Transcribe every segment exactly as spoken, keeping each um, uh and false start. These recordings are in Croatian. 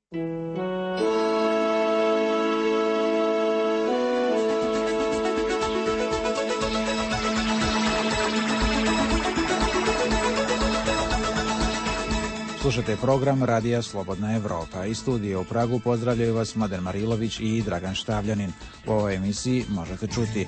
Slušajte program Radija Slobodna Evropa. Iz studija u Pragu pozdravljaju vas Mladen Marilović i Dragan Štavljanin. U ovoj emisiji možete čuti: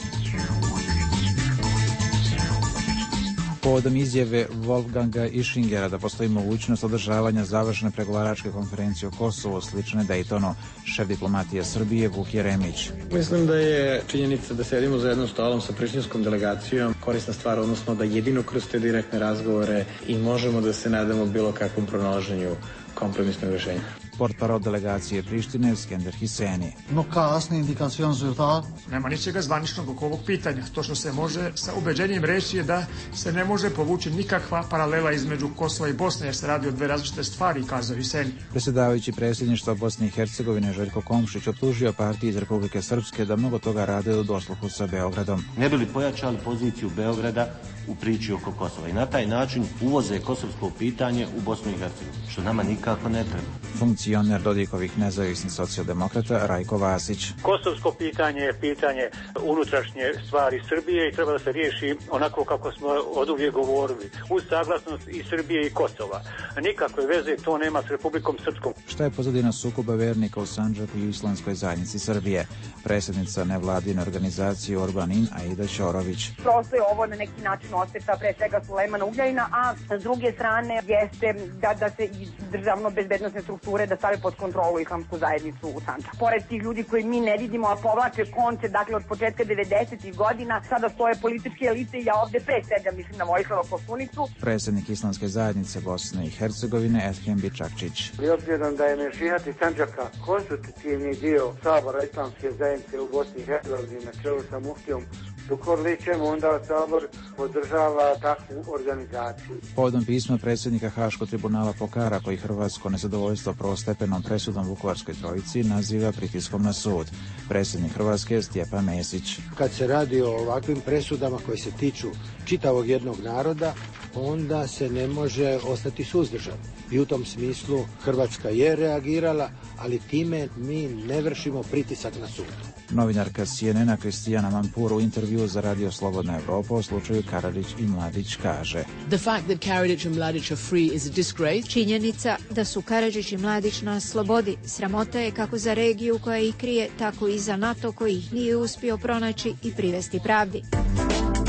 povodom izjave Wolfganga Ischingera da postoji mogućnost održavanja završne pregovaračke konferencije o Kosovu slične Daytonu, šef diplomatije Srbije Vuk Jeremić. Mislim da je činjenica da sedimo za jednom stolom sa prištinskom delegacijom korisna stvar, odnosno da jedino kroz te direktne razgovore i možemo da se nadamo bilo kakvom pronalaženju kompromisnog rješenja. Portparol delegacije Prištine Skender Hiseni. No kasni indikacion rezultat. Nema ničega zvaničnog oko ovog pitanja. To što se može sa ubeđenjem reći je da se ne može povući nikakva paralela između Kosova i Bosne, jer se radi o dve različite stvari, kazao Hiseni. Predsjedavajući predsjedništva Bosne i Hercegovine Željko Komšić optužio partije iz Republike Srpske da mnogo toga rade u dosluhu sa Beogradom. Ne bi li pojačali poziciju Beograda u priči oko Kosova i na taj način uvoze kosovsko pitanje u Bosnu i Hercegovinu, što nama nikako ne treba. Funkcioner Dodikovih nezavisnih socijaldemokrata Rajko Vasić. Kosovsko pitanje je pitanje unutrašnje stvari Srbije i treba da se riješi onako kako smo oduvijek govorili, uz saglasnost i Srbije i Kosova. Nikakve veze to nema s Republikom Srpskom. Šta je pozadina sukoba vernika u Sandžaku i u Islamskoj zajednici Srbije? Predsjednica nevladine organizacije Urbanin Aida Ćorović. Prosto je ovo na neki način osveta pre svega Sulejmana Ugljanina, a s druge strane jeste da, da se iz državno-bezbednosne strukture da stave pod kontrolu islamsku zajednicu u Sandžaku. Pored tih ljudi koji mi ne vidimo, a povlače konce, dakle od početka devedesetih godina, sada stoje političke elite i ja ovde predstavljam, mislim na Vojislava Koštunicu. Predsjednik Islamske zajednice Bosne i Hercegovine Ethem Bičakčić. I obzirom da je Mešihat iz Sandžaka konstitutivni dio Sabora Islamske zajednice u Bosni i Hercegovini na čelu sa muftijom Zukorlićem, onda Sabor podržava takvu organizaciju. Povodom pisma predsjednika Haškog tribunala Pokara, koji hrvatsko nezadovoljstvo prvostepenom presudom Vukovarskoj trojici naziva pritiskom na sud. Predsjednik Hrvatske Stjepan Mesić. Kad se radi o ovakvim presudama koje se tiču čitavog jednog naroda, onda se ne može ostati suzdržan. I u tom smislu Hrvatska je reagirala, ali time mi ne vršimo pritisak na sud. Novinarka C N N-a Kristijana Mampur u intervju za Radio Slobodna Evropa o slučaju Karadžić i Mladić kaže: The fact that Karadzic and Mladić are free is a disgrace. Činjenica da su Karadžić i Mladić na slobodi sramota je kako za regiju koja ih krije, tako i za NATO koji ih nije uspio pronaći i privesti pravdi.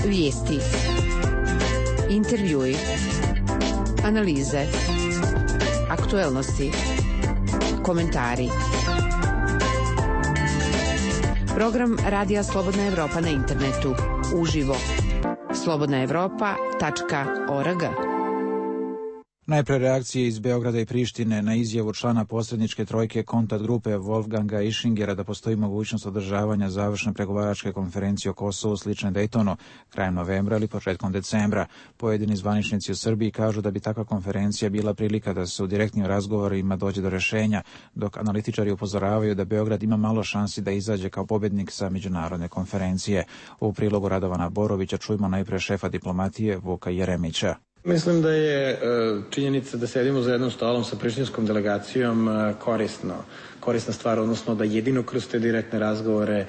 Vijesti, intervjui, analize, aktuelnosti, komentari. Program Radija Slobodna Evropa na internetu, uživo, slobodna evropa tačka org. Najpre reakcije iz Beograda i Prištine na izjavu člana posredničke trojke kontakt grupe Wolfganga Ischingera da postoji mogućnost održavanja završne pregovaračke konferencije o Kosovu slične Daytonu krajem novembra ili početkom decembra. Pojedini zvaničnici u Srbiji kažu da bi takva konferencija bila prilika da se u direktnim razgovorima dođe do rješenja, dok analitičari upozoravaju da Beograd ima malo šansi da izađe kao pobjednik sa međunarodne konferencije. U prilogu Radovana Borovića čujemo najpre šefa diplomatije Vuka Jeremića. Mislim da je činjenica da sedimo za jednom stolom sa prištinskom delegacijom korisno, korisna stvar, odnosno da jedino kroz te direktne razgovore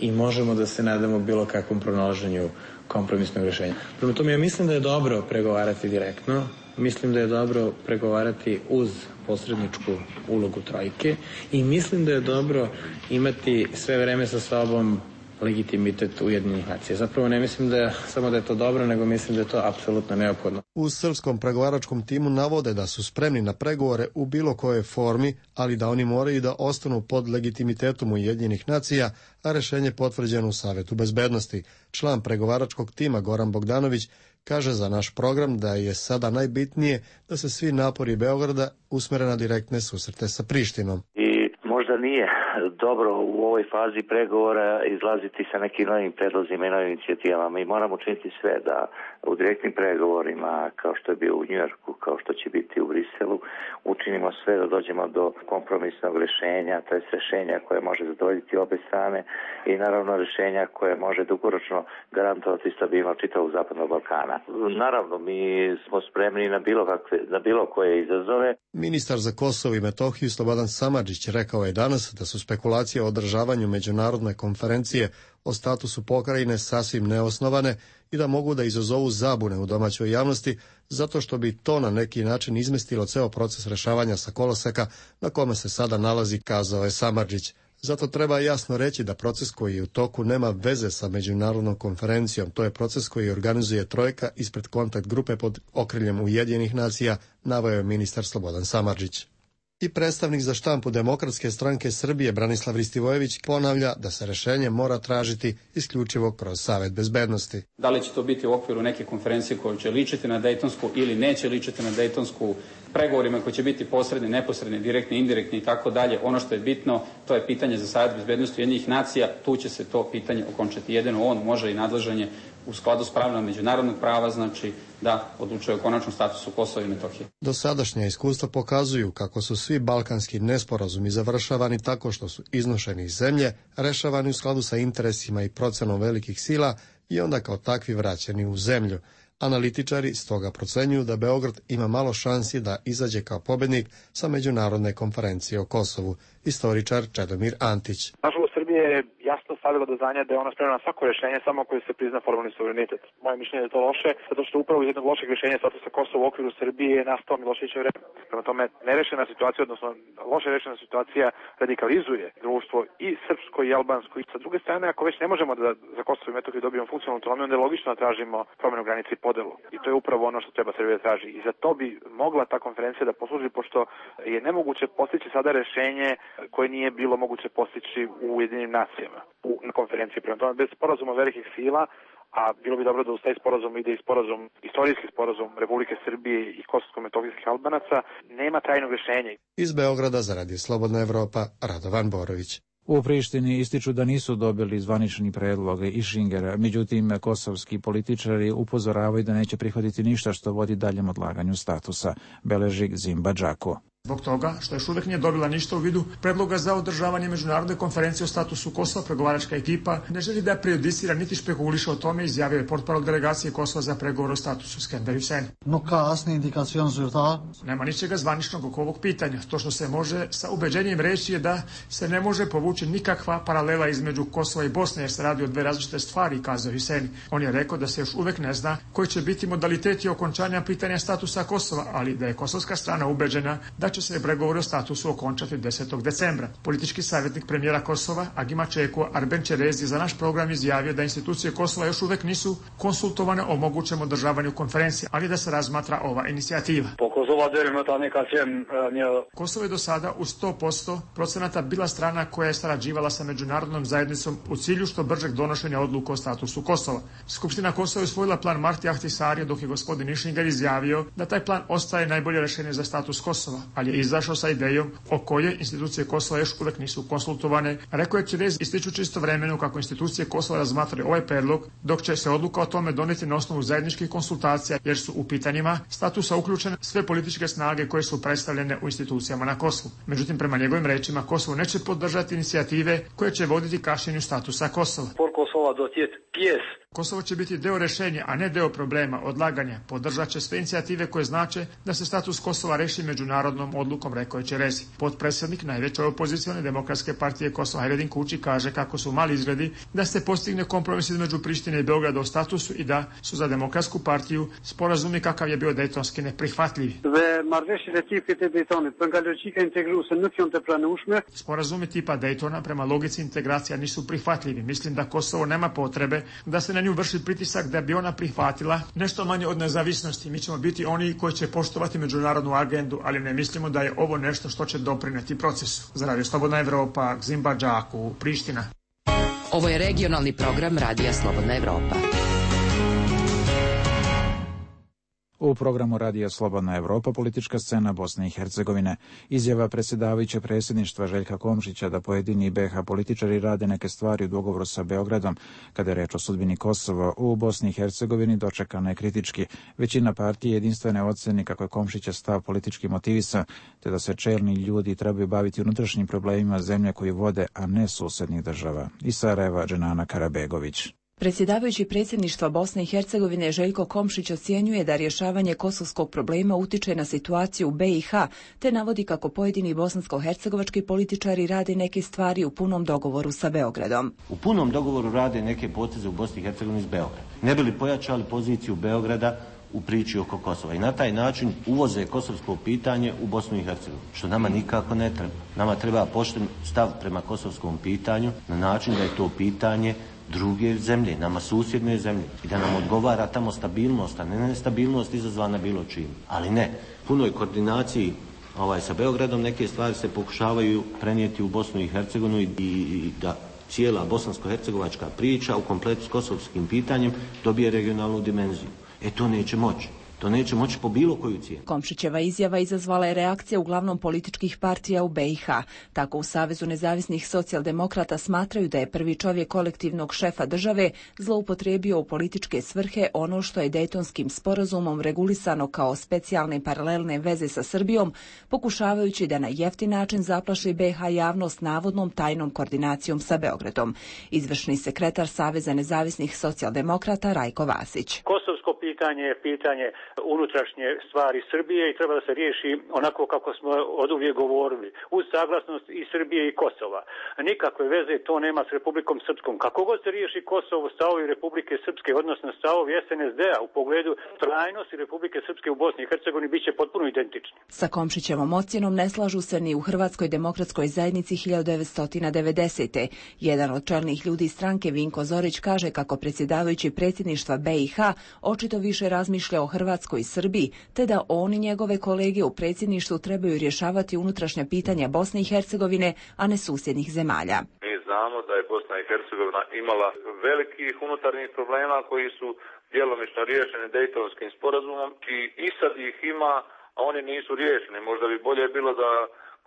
i možemo da se nadamo bilo kakvom pronalaženju kompromisnog rješenja. Prema tome, ja mislim da je dobro pregovarati direktno, mislim da je dobro pregovarati uz posredničku ulogu trojke i mislim da je dobro imati sve vreme sa sobom legitimitet Ujedinjenih nacija. Zapravo ne mislim da je, samo da je to dobro, nego mislim da je to apsolutno neophodno. U srpskom pregovaračkom timu navode da su spremni na pregovore u bilo kojoj formi, ali da oni moraju da ostanu pod legitimitetom Ujedinjenih nacija, a rješenje potvrđeno u Savetu bezbednosti. Član pregovaračkog tima Goran Bogdanović kaže za naš program da je sada najbitnije da se svi napori Beograda usmere na direktne susrete sa Prištinom. I možda nije dobro u ovoj fazi pregovora izlaziti sa nekim novim predlozima i novim inicijativama. Mi moramo učiniti sve da u direktnim pregovorima, kao što je bio u Njujorku, kao što će biti u Briselu, učinimo sve da dođemo do kompromisnog rješenja, to je rješenja koje može zadovoljiti obe strane i naravno rješenja koje može dugoročno garantovati stabilnost čitavog Zapadnog Balkana. Naravno, mi smo spremni na bilo, kakve, na bilo koje izazove. Ministar za Kosovo i Metohiju Slobodan Samardžić rekao je danas da su spekulacije o održavanju međunarodne konferencije o statusu pokrajine sasvim neosnovane i da mogu da izazovu zabune u domaćoj javnosti zato što bi to na neki način izmestilo ceo proces rešavanja sa koloseka na kome se sada nalazi, kazao je Samardžić. Zato treba jasno reći da proces koji je u toku nema veze sa međunarodnom konferencijom. To je proces koji organizuje trojka ispred kontakt grupe pod okriljem Ujedinjenih nacija, naveo je ministar Slobodan Samardžić. I predstavnik za štampu Demokratske stranke Srbije Branislav Ristivojević ponavlja da se rešenje mora tražiti isključivo kroz Savet bezbednosti. Da li će to biti u okviru neke konferencije koja će ličiti na Dejtonsku ili neće ličiti na Dejtonsku, pregovorima koji će biti posredni, neposredni, direktni, indirektni i tako dalje. Ono što je bitno, to je pitanje za Savet bezbednosti Ujedinjenih nacija, tu će se to pitanje okončati. Jedino on može i nadležan je u skladu s pravilima međunarodnog prava, znači da odlučuje o konačnom statusu Kosova i Metohije. Dosadašnja iskustva pokazuju kako su svi balkanski nesporazumi završavani tako što su iznošeni iz zemlje, rešavani u skladu sa interesima i procenom velikih sila i onda kao takvi vraćeni u zemlju. Analitičari stoga procenjuju da Beograd ima malo šansi da izađe kao pobednik sa međunarodne konferencije o Kosovu. Istoričar Čedomir Antić. Nažalost, Srbija je jasno stavila do znanja da je ona spremna na svako rješenje samo koje se prizna formalni suverenitet. Moje mišljenje je to loše, zato što upravo iz jednog lošeg rješenja statusa Kosova u okviru Srbije je nastao Miloševićev režim. Prema tome, nerešena situacija, odnosno loše rešena situacija radikalizuje društvo i srpsko i albansko. I sa druge strane, ako već ne možemo da za Kosovo i Metohiju dobijemo funkcionalnu autonomiju, onda je logično da tražimo promjenu granice i podelu. I to je upravo ono što treba Srbija da traži. I za to bi mogla ta konferencija da posluži, pošto je nemoguće postići sada rešenje koje nije bilo moguće postići u Ujedinjenim nacijama u, na konferenciji. Prema tome, bez sporazuma velikih sila, a bilo bi dobro da uz taj sporazum ide i sporazum, istorijski sporazum Republike Srbije i kosovsko-metohijskih Albanaca, nema trajnog rješenja. Iz Beograda za Radio Slobodna Evropa, Radovan Borović. U Prištini ističu da nisu dobili zvanični predlog Išingera, međutim kosovski političari upozoravaju da neće prihvatiti ništa što vodi daljem odlaganju statusa, beleži Zimba Džako. Zbog toga što još uvijek nije dobila ništa u vidu predloga za održavanje međunarodne konferencije o statusu Kosova, pregovaračka ekipa ne želi da prejudicira niti špekuliše o tome, izjavio je portparol delegacije Kosova za pregovor o statusu Skender Hussein. Nuk ka asnjë indikacion zyrtar. Nema ničega zvaničnog oko ovog pitanja. To što se može sa ubeđenjem reći je da se ne može povući nikakva paralela između Kosova i Bosne, jer se radi o dve različite stvari, kazao Hussein. On je rekao da se još uvijek ne zna koji će biti modaliteti okončanja pitanja statusa Kosova, ali da je kosovska strana ubeđena da će se pregovori o statusu okončati desetog decembra. Politički savjetnik premijera Kosova, Agima Čeko, Arben Čerez, za naš program izjavio da institucije Kosova još uvijek nisu konsultovane o mogućem održavanju konferencije, ali da se razmatra ova inicijativa. Kosovo je do sada u sto posto procenata bila strana koja je sarađivala sa međunarodnom zajednicom u cilju što bržeg donošenja odluka o statusu Kosova. Skupština Kosova je usvojila plan Marti Ahtisarija, dok je gospodin Išinger izjavio da taj plan ostaje najbolje rješenje za status Kosova, ali je izašao sa idejom o kojoj institucije Kosova još uvijek nisu konsultovane. Rekao je Čerez ističući istovremeno kako institucije Kosova razmatraju ovaj predlog, dok će se odluka o tome donijeti na osnovu zajedničkih konsultacija, jer su u pitanjima statusa uključene sve političke snage koje su predstavljene u institucijama na Kosovu. Međutim, prema njegovim rečima, Kosovo neće podržati inicijative koje će voditi kašnjenju statusa Kosova. Kosovo će biti deo rješenja, a ne deo problema, odlaganja. Podržat će sve inicijative koje znače da se status Kosova reši međunarodnom odlukom, rekao je Čerezi. Potpredsjednik najveće opozicione demokratske partije Kosova Hajredin Kuči kaže kako su mali izgledi da se postigne kompromis između Prištine i Beograda o statusu i da su za demokratsku partiju sporazumi kakav je bio dejtonski neprihvatljivi. Sporazumi tipa Dejtona prema logici integracija nisu prihvatljivi. Mislim da Kosovo nema potrebe da se na nju vrši pritisak da bi ona prihvatila nešto manje od nezavisnosti. Mi ćemo biti oni koji će poštovati međunarodnu agendu, ali ne mislimo da je ovo nešto što će doprineti procesu. Za Radio Slobodna Evropa, Zimba Džaku, Priština. Ovo je regionalni program Radija Slobodna Evropa. U programu Radija Slobodna Evropa politička scena Bosne i Hercegovine. Izjava predsjedavajućeg predsjedništva Željka Komšića da pojedini be ha političari rade neke stvari u dogovoru sa Beogradom kada je reč o sudbini Kosova u Bosni i Hercegovini dočekana je kritički. Većina partije jedinstvene oceni kako je Komšića stav politički motivisan, te da se čelni ljudi trebaju baviti unutrašnjim problemima zemlje koju vode, a ne susednih država. Iz Sarajeva, Dženana Karabegović. Predsjedavajući predsjedništva Bosne i Hercegovine Željko Komšić ocjenjuje da rješavanje kosovskog problema utiče na situaciju u be i ha, te navodi kako pojedini bosansko-hercegovački političari rade neke stvari u punom dogovoru sa Beogradom. U punom dogovoru rade neke poteze u Bosni i Hercegovini s Beogradom. Ne bi li pojačali poziciju Beograda u priči oko Kosova i na taj način uvoze kosovsko pitanje u Bosnu i Hercegovinu, što nama nikako ne treba. Nama treba pošten stav prema kosovskom pitanju na način da je to pitanje druge zemlje, nama susjedne zemlje i da nam odgovara tamo stabilnost, a ne nestabilnost izazvana bilo čim. Ali ne, punoj koordinaciji ovaj, sa Beogradom neke stvari se pokušavaju prenijeti u Bosnu i Hercegovinu i, i da cijela bosansko-hercegovačka priča u kompletu s kosovskim pitanjem dobije regionalnu dimenziju. E to neće moći. To neće moći po bilo koju cijenu. Komšićeva izjava izazvala je reakcija uglavnom političkih partija u be i ha. Tako u Savezu nezavisnih socijaldemokrata smatraju da je prvi čovjek kolektivnog šefa države zloupotrijebio u političke svrhe ono što je Dejtonskim sporazumom regulisano kao specijalne paralelne veze sa Srbijom, pokušavajući da na jeftin način zaplaši be ha javnost navodnom tajnom koordinacijom sa Beogradom. Izvršni sekretar Saveza nezavisnih socijaldemokrata Rajko Vasić. Kosovsko pitanje je pitanje unutrašnje stvari Srbije i treba da se riješi onako kako smo oduvijek govorili, uz saglasnost i Srbije i Kosova. Nikakve veze to nema s Republikom Srpskom. Kako god se riješi Kosovo, stavovi Republike Srpske, odnosno stavovi es en es de a u pogledu trajnosti Republike Srpske u Bosni i Hercegovini bit će potpuno identični. Sa Komšićevom ocjenom ne slažu se ni u Hrvatskoj demokratskoj zajednici hiljadu devetsto devedesete. Jedan od čelnih ljudi stranke Vinko Zorić kaže kako predsjedavajući predsjedništva be i ha očito više razmišlja o Hrvatskoj i Srbiji, te da on i njegove kolege u predsjedništvu trebaju rješavati unutrašnja pitanja Bosne i Hercegovine, a ne susjednih zemalja. Mi znamo da je Bosna i Hercegovina imala velikih unutarnjih problema koji su djelomično riješeni Dejtonskim sporazumom i, i sad ih ima, a oni nisu riješeni. Možda bi bolje bilo da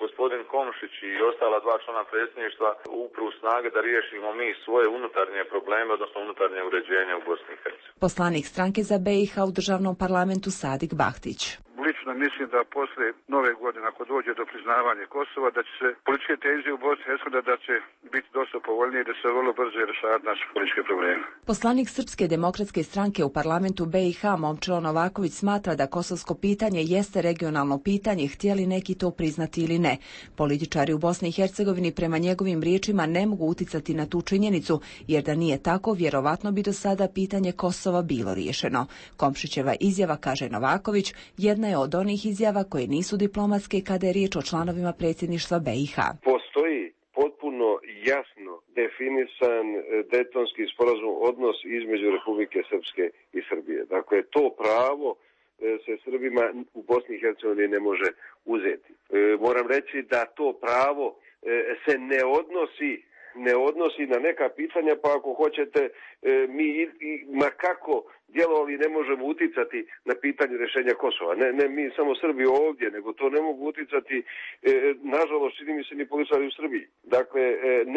gospodin Komšić i ostala dva člana predsjedništva upru snage da riješimo mi svoje unutarnje probleme, odnosno unutarnje uređenje u Bosni i Hercegovini. Poslanik stranke za be i ha u državnom parlamentu Sadik Bahtić. Lično mislim da poslije nove godine, ako dođe do priznavanja Kosova, da će se političke tenzije u Bosni i Hercegovini da će biti dosta povoljnije i da se vrlo brzo rješavati naše političke probleme. Poslanik Srpske demokratske stranke u parlamentu be i ha Momčilo Novaković smatra da kosovsko pitanje jeste regionalno pitanje, htjeli neki to priznati ili ne. Političari u Bosni i Hercegovini prema njegovim riječima ne mogu uticati na tu činjenicu, jer da nije tako, vjerovatno bi do sada pitanje Kosova bilo riješeno. Komšićeva izjava, kaže Novaković, jedna je od onih izjava koje nisu diplomatske kada je riječ o članovima predsjedništva be i ha. Postoji potpuno jasno definisan Dejtonski sporazum, odnos između Republike Srpske i Srbije. Dakle, to pravo se Srbima u Bosni i Hercegovini ne može uzeti. Moram reći da to pravo se ne odnosi ne odnosi na neka pitanja, pa ako hoćete mi ma kako djelovali ne možemo uticati na pitanje rješenja Kosova. Ne, ne mi samo Srbi ovdje, nego to ne mogu uticati, nažalost, čini mi se ni političari u Srbiji. Dakle,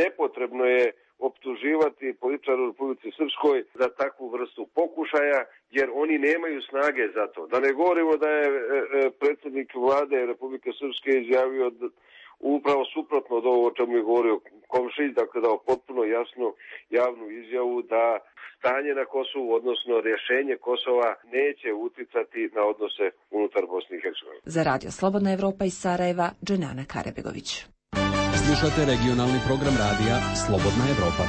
nepotrebno je optuživati političare u Republici Srpskoj za takvu vrstu pokušaja, jer oni nemaju snage za to. Da ne govorimo da je predsjednik vlade Republike Srpske izjavio upravo suprotno od ovo o čemu je govorio Komšić, dakle dao potpuno jasnu javnu izjavu da stanje na Kosovu, odnosno rješenje Kosova, neće uticati na odnose unutar Bosne i Hercegovine. Za Radio Slobodna Evropa iz Sarajeva, Dženana Karabegović. Slušate regionalni program radija Slobodna Evropa.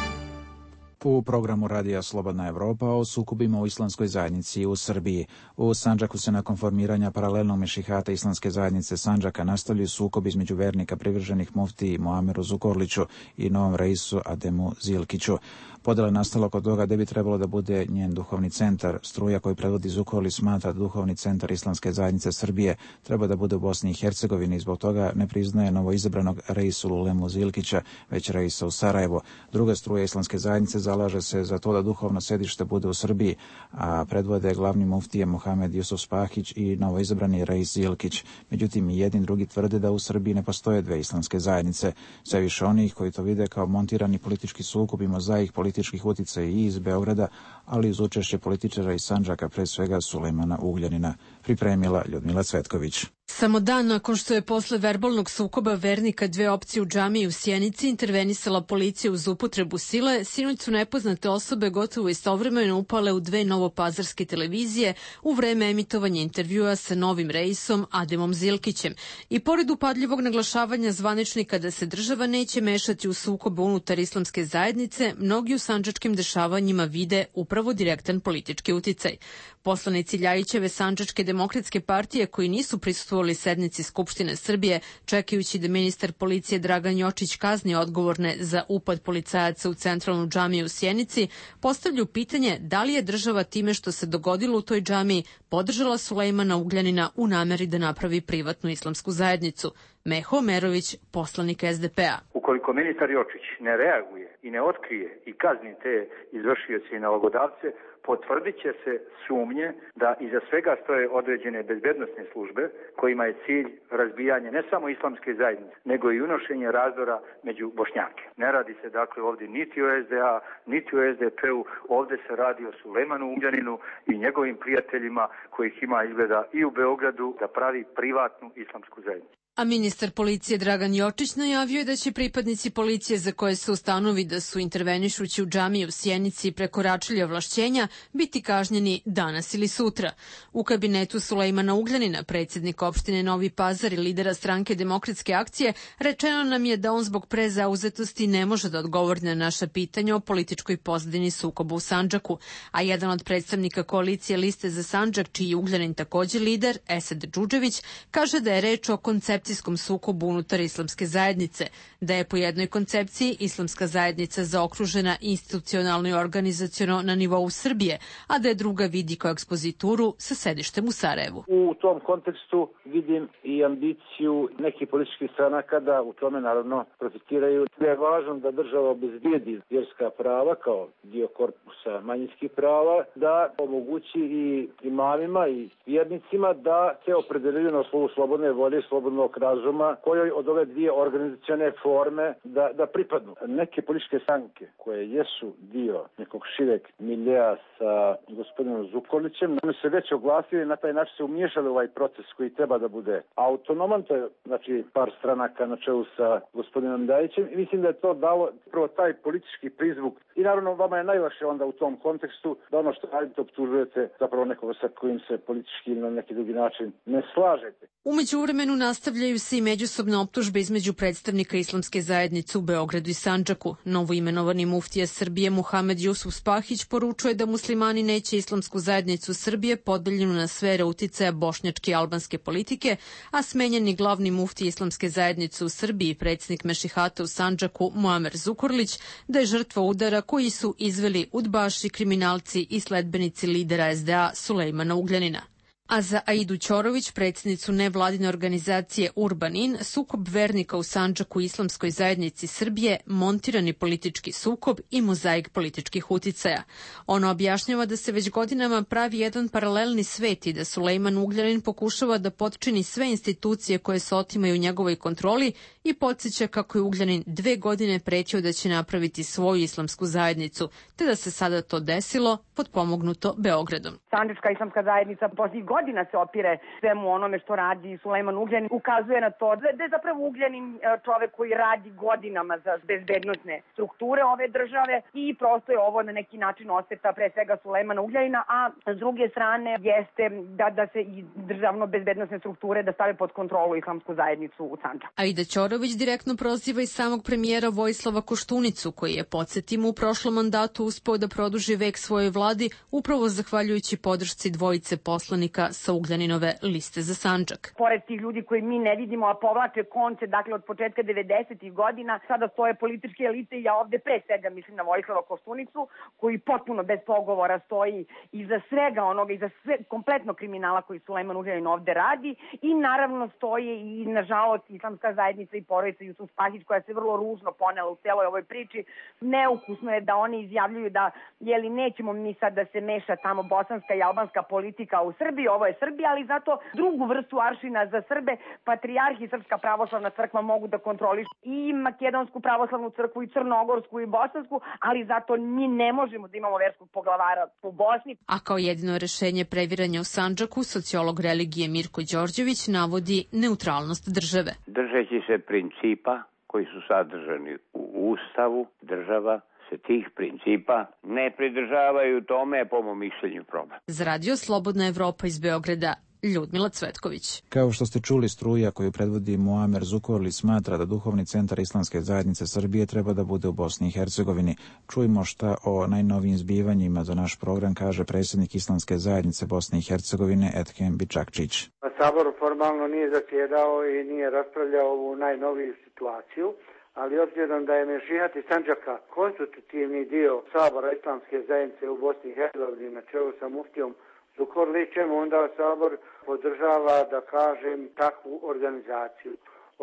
U programu Radija Slobodna Evropa o sukobima u islamskoj zajednici u Srbiji. U Sandžaku se nakon formiranja paralelnog mešihata islamske zajednice Sandžaka nastavljaju sukobi između vernika privrženih muftiji Muameru Zukorliću i novom reisu Ademu Zilkiću. Podjela je nastala kod toga da bi trebalo da bude njen duhovni centar. Struja koju predvodi Zukorlić smatra da duhovni centar islamske zajednice Srbije treba da bude u Bosni i Hercegovini i zbog toga ne priznaje novoizabranog reisu Lulemu Zilkića, već reisa u Sarajevo. Druga struja islamske zajednice zalaže se za to da duhovno sedište bude u Srbiji, a predvode glavni muftije Muhamed Jusuf Spahić i novoizabrani Reis Zilkić. Međutim, i jedni drugi tvrde da u Srbiji ne postoje dve islamske zajednice. Sve više onih koji to vide kao montirani politički sukob i mozaik političkih uticaja i iz Beograda, ali uz učešće političara iz Sandžaka, pre svega Sulejmana Ugljanina. Pripremila Ljudmila Cvetković. Samo dan nakon što je posle verbalnog sukoba vernika dve opcije u džamiji u Sjenici intervenisala policija uz upotrebu sile, sinoć su nepoznate osobe gotovo istovremeno upale u dve novopazarske televizije u vreme emitovanja intervjua sa novim reisom Ademom Zilkićem. I pored upadljivog naglašavanja zvaničnika da se država neće mešati u sukob unutar islamske zajednice, mnogi u sandžačkim dešavanjima vide upravo direktan politički uticaj. Poslanici Ljajićeve Sandžačke demokratske partije koji nisu prisustvovali sednici Skupštine Srbije, čekajući da ministar policije Dragan Jočić kazni odgovorne za upad policajaca u centralnu džamiju u Sjenici, postavljaju pitanje da li je država time što se dogodilo u toj džamiji podržala Sulejmana Ugljanina u nameri da napravi privatnu islamsku zajednicu. Meho Omerović, poslanik es de pe a. Ukoliko ministar Jočić ne reaguje i ne otkrije i kazni te izvršioce i nalogodavce, potvrdit će se sumnje da iza svega stoje određene bezbednosne službe kojima je cilj razbijanje ne samo islamske zajednice, nego i unošenje razdora među Bošnjake. Ne radi se dakle ovdje niti o es de a, niti o es de pe u, ovdje se radi o Sulejmanu Ugljaninu i njegovim prijateljima kojih ima izgleda i u Beogradu da pravi privatnu islamsku zajednicu. A ministar policije Dragan Jočić najavio je da će pripadnici policije za koje se ustanovi da su intervenišući u džamiji u Sjenici prekoračili ovlašćenja biti kažnjeni danas ili sutra. U kabinetu Sulejmana Ugljanina, predsjednika opštine Novi Pazar i lidera stranke Demokratske akcije, rečeno nam je da on zbog prezauzetosti ne može da odgovori na naša pitanja o političkoj pozadini sukoba u Sandžaku. A jedan od predstavnika koalicije Liste za Sandžak, čiji je Ugljanin također lider, Esad Džudžević, kaže da je reč o koncepciji sukobu unutar islamske zajednice, da je po jednoj koncepciji islamska zajednica zaokružena institucionalno i organizaciono na nivou Srbije, a da je druga vidi kao ekspozituru sa sedištem u Sarajevu. U tom kontekstu vidim i ambiciju nekih političkih stranaka da u tome naravno profitiraju. Je važno da država obezbijedi vjerska prava kao dio korpusa manjinskih prava, da omogući i imamima i vjernicima da se opredeljuju na osnovu slobodne volje i slobodnog razuma kojoj od ove dvije organizacione forme da, da pripadnu. Neke političke stranke koje jesu dio nekog šireg miljea sa gospodinom Zukorlićem, oni se već oglasili i na taj način se umiješali u ovaj proces koji treba da bude autonoman, to je znači par stranaka na čelu sa gospodinom Ljajićem i mislim da je to dalo prvo taj politički prizvuk i naravno vama je najlakše onda u tom kontekstu da ono što radite optužujete zapravo nekoga sa kojim se politički na neki drugi način ne slažete. U međuvremenu nastavljaju se i međusobne optužbe između predstavnika islamske zajednice u Beogradu i Sandžaku. Novoimenovani muftija Srbije Muhamed Jusuf Spahić poručuje da muslimani neće islamsku zajednicu Srbije podeljenu na sfere uticaja bošnjačke i albanske politike, a smenjeni glavni muftija islamske zajednice u Srbiji, predsjednik Mešihata u Sandžaku Muamer Zukorlić, da je žrtva udara koji su izveli udbaši, kriminalci i sledbenici lidera es de a Sulejmana Ugljanina. A za Aidu Ćorović, predsjednicu nevladine organizacije Urbanin, sukob vernika u Sandžaku islamskoj zajednici Srbije, montirani politički sukob i mozaik političkih uticaja. Ona objašnjava da se već godinama pravi jedan paralelni svet i da Sulejman Ugljanin pokušava da potčini sve institucije koje se otimaju u njegovoj kontroli i podsjeća kako je Ugljanin dve godine pretio da će napraviti svoju islamsku zajednicu, te da se sada to desilo potpomognuto Beogradom. Sandžačka islamska zajednica posljednjih godina se opire svemu onome što radi Sulejman Ugljanin, ukazuje na to da je zapravo Ugljanin čovek koji radi godinama za bezbednosne strukture ove države i prosto je ovo na neki način osveta pre svega Sulejmana Ugljanina, a s druge strane jeste da, da se i državno bezbednosne strukture da stave pod kontrolu islamsku zajednicu u Sandžaku. Aida Ćorović direktno proziva i samog premijera Vojislava Koštunicu, koji je, podsjetimo, u prošlom mandatu uspeo da produži vek svojoj vladi upravo zahvaljujući podršci dvojice poslanika predstavnika sa Ugljaninove liste za Sandžak. Pored tih ljudi koji mi ne vidimo, a povlače konce, dakle od početka devedesetih godina, sada stoje političke elite i ja ovde pre svega mislim na Vojislava Koštunicu, koji potpuno bez pogovora stoji iza svega onoga, iza sve, kompletno kriminala koji Sulejman Ugljanin ovde radi, i naravno stoje i nažalost islamska zajednica i porodica Jusuf Spahić, koja se vrlo ružno ponela u celoj ovoj priči. Neukusno je da oni izjavljuju da jeli nećemo mi sad da se meša tamo bosanska i albanska politika u Srbiji, ovo je Srbija, ali zato drugu vrstu aršina za Srbe patrijarh i Srpska pravoslavna crkva mogu da kontrolišu i Makedonsku pravoslavnu crkvu i Crnogorsku i Bosansku, ali zato mi ne možemo da imamo verskog poglavara u Bosni. A kao jedino rešenje previranja u Sandžaku, sociolog religije Mirko Đorđević navodi neutralnost države. Držeći se principa koji su sadržani u Ustavu, država se tih principa ne pridržavaju, tome je po mom mišljenju problem. Za radio Slobodna Evropa iz Beograda, Ljudmila Cvetković. Kao što ste čuli, struja koju predvodi Muamer Zukorli smatra da duhovni centar Islamske zajednice Srbije treba da bude u Bosni i Hercegovini. Čujmo šta o najnovijim zbivanjima za naš program kaže predsjednik Islamske zajednice Bosne i Hercegovine Ethem Bičakčić. Sabor formalno nije zasjedao i nije raspravljao ovu najnoviju situaciju, ali obzirom da je Mešihati Sandžaka konstitutivni dio Sabora Islamske zajednice u Bosni i Hercegovini na čelu sa muftijom Zukorlićem, onda Sabor podržava, da kažem, takvu organizaciju.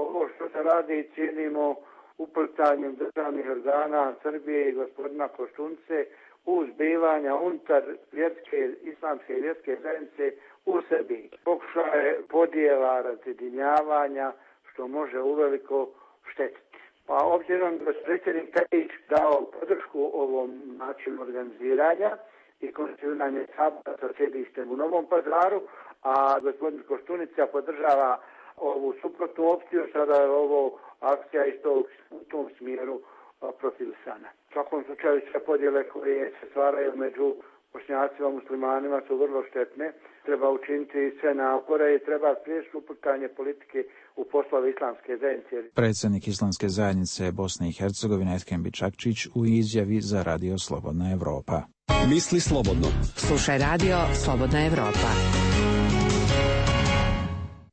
Ovo što se radi cijenimo upltanjem državnih organa Srbije i gospodina Koštunce u zbivanja unutar vjerske, islamske i vjerske zajednice u Srbiji. Pokušaje podjela, razjedinjavanja, što može uveliko štetiti. Pa obzirom da je predsjednik Tadić dao podršku ovom načinu organiziranja i konstituiranje Sabora sa sjedištem u Novom Pazaru, a gospodin Koštunica podržava ovu suprotnu opciju, sada je ovo akcija isto u tom smjeru profilisana. U svakom slučaju sve podjele koje se stvaraju među Bošnjacima, muslimanima su vrlo štetne. Treba učiniti sve napore i treba spriječiti uplitanje politike u poslove Islamske zajednice. Predsjednik Islamske zajednice Bosne i Hercegovine Ethem Bičakčić u izjavi za radio Slobodna Evropa. Misli slobodno. Slušaj radio Slobodna Evropa.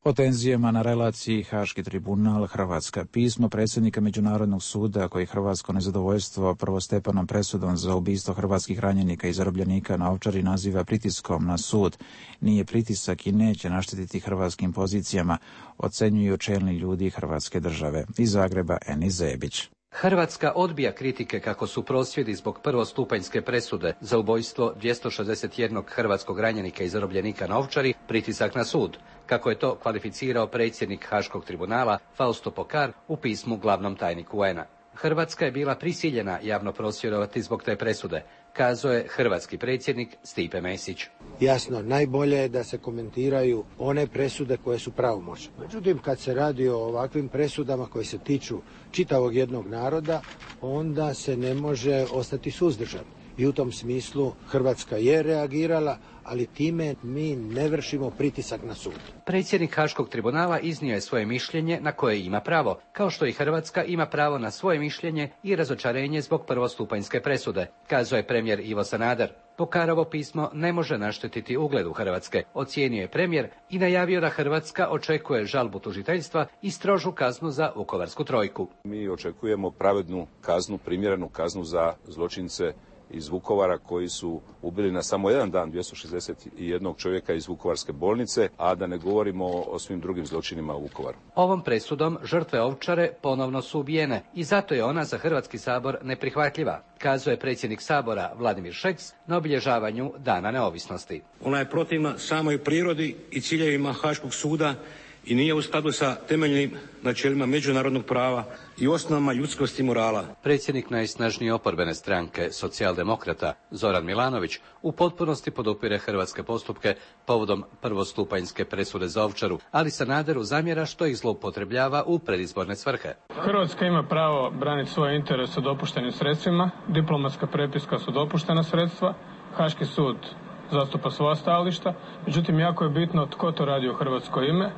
O tenzijama na relaciji Haški tribunal Hrvatska. Pismo predsjednika Međunarodnog suda koji hrvatsko nezadovoljstvo prvostepenom presudom za ubistvo hrvatskih ranjenika i zarobljenika na Ovčari naziva pritiskom na sud. Nije pritisak i neće naštetiti hrvatskim pozicijama, ocenjuju čelni ljudi Hrvatske države. Iz Zagreba Eni Zebić. Hrvatska odbija kritike kako su prosvjedi zbog prvostupanjske presude za ubojstvo dvjesto šezdeset jednog hrvatskog ranjenika i zarobljenika na Ovčari pritisak na sud, kako je to kvalificirao predsjednik Haškog tribunala Fausto Pokar u pismu glavnom tajniku U N A. Hrvatska je bila prisiljena javno prosvjedovati zbog te presude, kazao je hrvatski predsjednik Stipe Mesić. Jasno, najbolje je da se komentiraju one presude koje su pravomoćne. Međutim, kad se radi o ovakvim presudama koje se tiču čitavog jednog naroda, onda se ne može ostati suzdržan. I u tom smislu Hrvatska je reagirala, ali time mi ne vršimo pritisak na sud. Predsjednik Haškog tribunala iznio je svoje mišljenje na koje ima pravo, kao što i Hrvatska ima pravo na svoje mišljenje i razočarenje zbog prvostupanjske presude, kazao je premijer Ivo Sanader. Pokarovo pismo ne može naštetiti ugledu Hrvatske, ocijenio je premijer i najavio da Hrvatska očekuje žalbu tužiteljstva i strožu kaznu za Vukovarsku trojku. Mi očekujemo pravednu kaznu, primjerenu kaznu za zločince iz Vukovara koji su ubili na samo jedan dan dvjesto šezdeset jednog čovjeka iz Vukovarske bolnice, a da ne govorimo o svim drugim zločinima u Vukovaru. Ovom presudom žrtve Ovčare ponovno su ubijene i zato je ona za Hrvatski sabor neprihvatljiva, kazao je predsjednik Sabora Vladimir Šeks na obilježavanju Dana neovisnosti. Ona je protivna samoj prirodi i ciljevima Haškog suda i nije u skladu sa temeljnim načelima međunarodnog prava i osnovama ljudskosti i morala. Predsjednik najsnažnije oporbene stranke, socijaldemokrata Zoran Milanović, u potpunosti podupire hrvatske postupke povodom prvostupanjske presude za Ovčaru, ali Sanaderu zamjera što ih zloupotrebljava u predizborne svrhe. Hrvatska ima pravo braniti svoje interese dopuštenim sredstvima, diplomatska prepiska su dopuštena sredstva, Haški sud zastupa svoja stajališta, međutim jako je bitno tko to radi u hrvatsko ime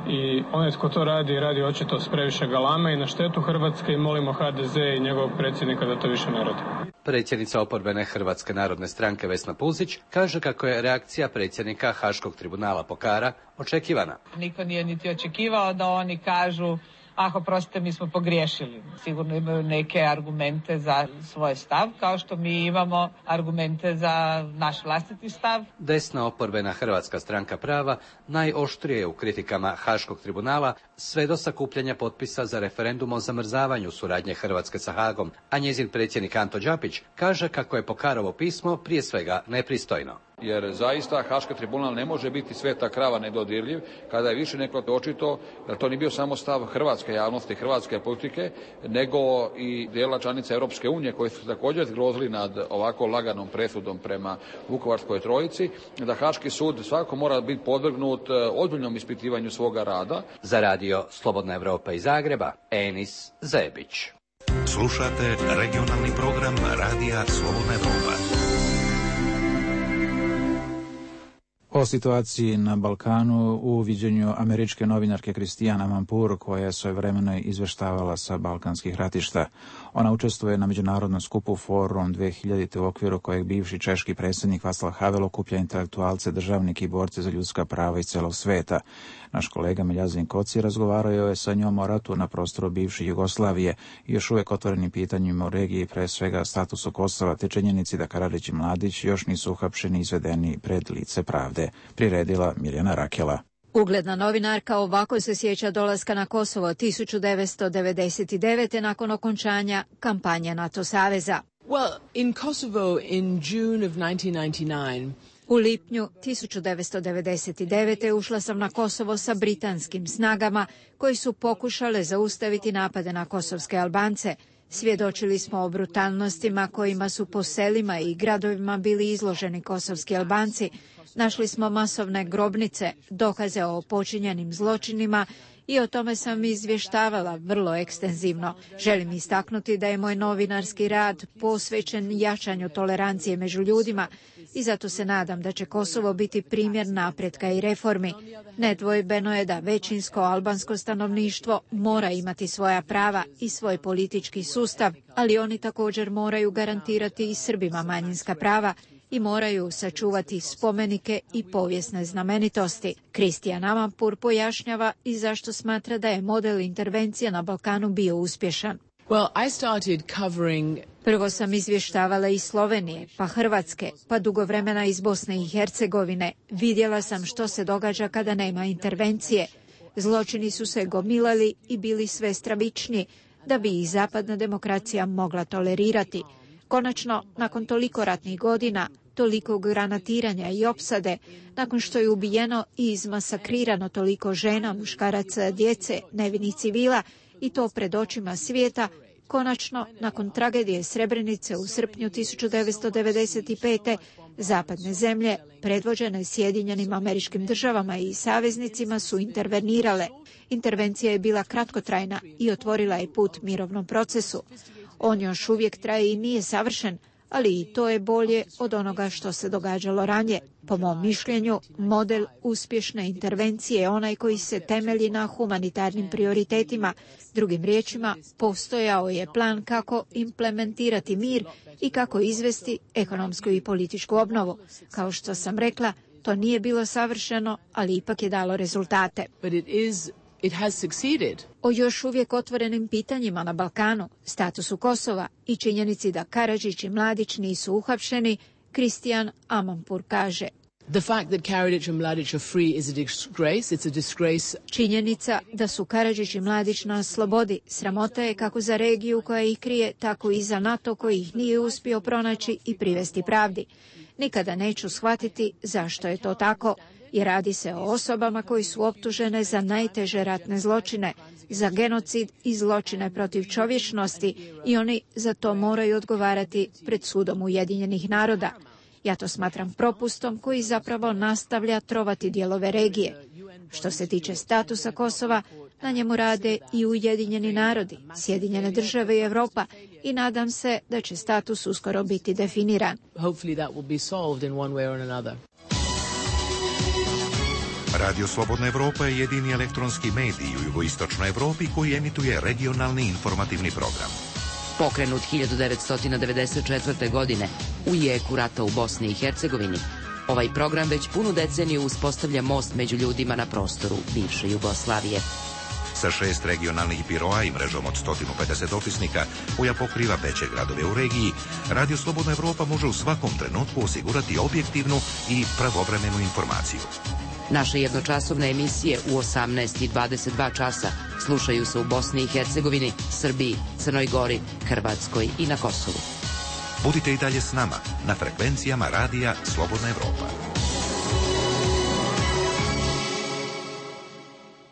i onaj tko to radi, radi očito s previše galame i na štetu Hrvatske i molimo ha de ze i njegovog predsjednika da to više ne radi. Predsjednica oporbene Hrvatske narodne stranke Vesna Pusić kaže kako je reakcija predsjednika Haškog tribunala Pokara očekivana. Niko nije niti očekivao da oni kažu ah, oprostite, mi smo pogriješili. Sigurno imaju neke argumente za svoj stav, kao što mi imamo argumente za naš vlastiti stav. Desna oporbena Hrvatska stranka prava najoštrije je u kritikama Haškog tribunala sve do sakupljanja potpisa za referendum o zamrzavanju suradnje Hrvatske sa Hagom, a njezin predsjednik Anto Đapić kaže kako je Pokarovo pismo prije svega nepristojno. Jer zaista Haški tribunal ne može biti sveta krava nedodirljiv kada je više nego očito da to nije bio samo stav hrvatske javnosti, hrvatske politike, nego i dijela članica Europske unije koji su također zgrozili nad ovako laganom presudom prema Vukovarskoj trojici, da Haški sud svakako mora biti podvrgnut ozbiljnom ispitivanju svoga rada. Za radio Slobodna Evropa iz Zagreba, Enis Zebić. Slušate regionalni program radija Slobodna Evropa. O situaciji na Balkanu u viđenju američke novinarke Christiane Amanpour, koja je svojevremeno izveštavala sa balkanskih ratišta. Ona učestvuje na međunarodnom skupu Forum dve hiljadite u okviru kojeg bivši češki predsjednik Václav Havel okuplja intelektualce, državnike i borce za ljudska prava iz celog sveta. Naš kolega Miljazin Koci razgovarao je sa njom o ratu na prostoru bivše Jugoslavije i još uvijek otvorenim pitanjima u regiji, pre svega statusu Kosova, te činjenici da Karadžić i Mladić još nisu uhapšeni i izvedeni pred lice pravde. Priredila Mirjana Rakela. Ugledna novinarka ovako se sjeća dolaska na Kosovo tisuću devetsto devedeset devete. nakon okončanja kampanje NATO saveza. Well, in Kosovo in June of nineteen ninety-nine. U lipnju tisuću devetsto devedeset devete. ušla sam na Kosovo sa britanskim snagama koji su pokušale zaustaviti napade na kosovske Albance. Svjedočili smo o brutalnostima kojima su po selima i gradovima bili izloženi kosovski Albanci. Našli smo masovne grobnice, dokaze o počinjenim zločinima i o tome sam izvještavala vrlo ekstenzivno. Želim istaknuti da je moj novinarski rad posvećen jačanju tolerancije među ljudima i zato se nadam da će Kosovo biti primjer napretka i reformi. Nedvojbeno je da većinsko albansko stanovništvo mora imati svoja prava i svoj politički sustav, ali oni također moraju garantirati i Srbima manjinska prava i moraju sačuvati spomenike i povijesne znamenitosti. Christiane Amanpour pojašnjava i zašto smatra da je model intervencije na Balkanu bio uspješan. Well, I started covering... Prvo sam izvještavala iz Slovenije, pa Hrvatske, pa dugo vremena iz Bosne i Hercegovine. Vidjela sam što se događa kada nema intervencije. Zločini su se gomilali i bili sve stravičniji, da bi ih zapadna demokracija mogla tolerirati. Konačno, nakon toliko ratnih godina, toliko granatiranja i opsade, nakon što je ubijeno i izmasakrirano toliko žena, muškaraca, djece, nevinih civila i to pred očima svijeta, konačno, nakon tragedije Srebrenice u srpnju tisuću devetsto devedeset pete. zapadne zemlje, predvođene Sjedinjenim Američkim Državama i saveznicima, su intervenirale. Intervencija je bila kratkotrajna i otvorila je put mirovnom procesu. On još uvijek traje i nije savršen, ali i to je bolje od onoga što se događalo ranije. Po mom mišljenju, model uspješne intervencije je onaj koji se temelji na humanitarnim prioritetima. Drugim riječima, postojao je plan kako implementirati mir i kako izvesti ekonomsku i političku obnovu. Kao što sam rekla, to nije bilo savršeno, ali ipak je dalo rezultate. But it is It has succeeded. O još uvijek otvorenim pitanjima na Balkanu, statusu Kosova i činjenici da Karadžić i Mladić nisu uhapšeni, Christiane Amanpour kaže: The fact that Karadzic and Mladic are free is a disgrace. It's a disgrace. Činjenica da su Karadžić i Mladić na slobodi sramota je kako za regiju koja ih krije, tako i za NATO koji ih nije uspio pronaći i privesti pravdi. Nikada neću shvatiti zašto je to tako, jer radi se o osobama koji su optužene za najteže ratne zločine, za genocid i zločine protiv čovječnosti i oni za to moraju odgovarati pred sudom Ujedinjenih naroda. Ja to smatram propustom koji zapravo nastavlja trovati dijelove regije. Što se tiče statusa Kosova, na njemu rade i Ujedinjeni narodi, Sjedinjene države i Europa i nadam se da će status uskoro biti definiran. Hopefully that will be solved in one way or another. Radio Slobodna Evropa je jedini elektronski medij u jugoistočnoj Evropi koji emituje regionalni informativni program. Pokrenut hiljadu devetsto devedeset četvrte. godine u jeku rata u Bosni i Hercegovini, ovaj program već punu deceniju uspostavlja most među ljudima na prostoru bivše Jugoslavije. Sa šest regionalnih biroa i mrežom od sto pedeset dopisnika koja pokriva veće gradove u regiji, Radio Slobodna Evropa može u svakom trenutku osigurati objektivnu i pravovremenu informaciju. Naše jednočasovne emisije u osamnaest i dvadeset dva časa slušaju se u Bosni i Hercegovini, Srbiji, Crnoj Gori, Hrvatskoj i na Kosovu. Budite i dalje s nama na frekvencijama Radija Slobodna Evropa.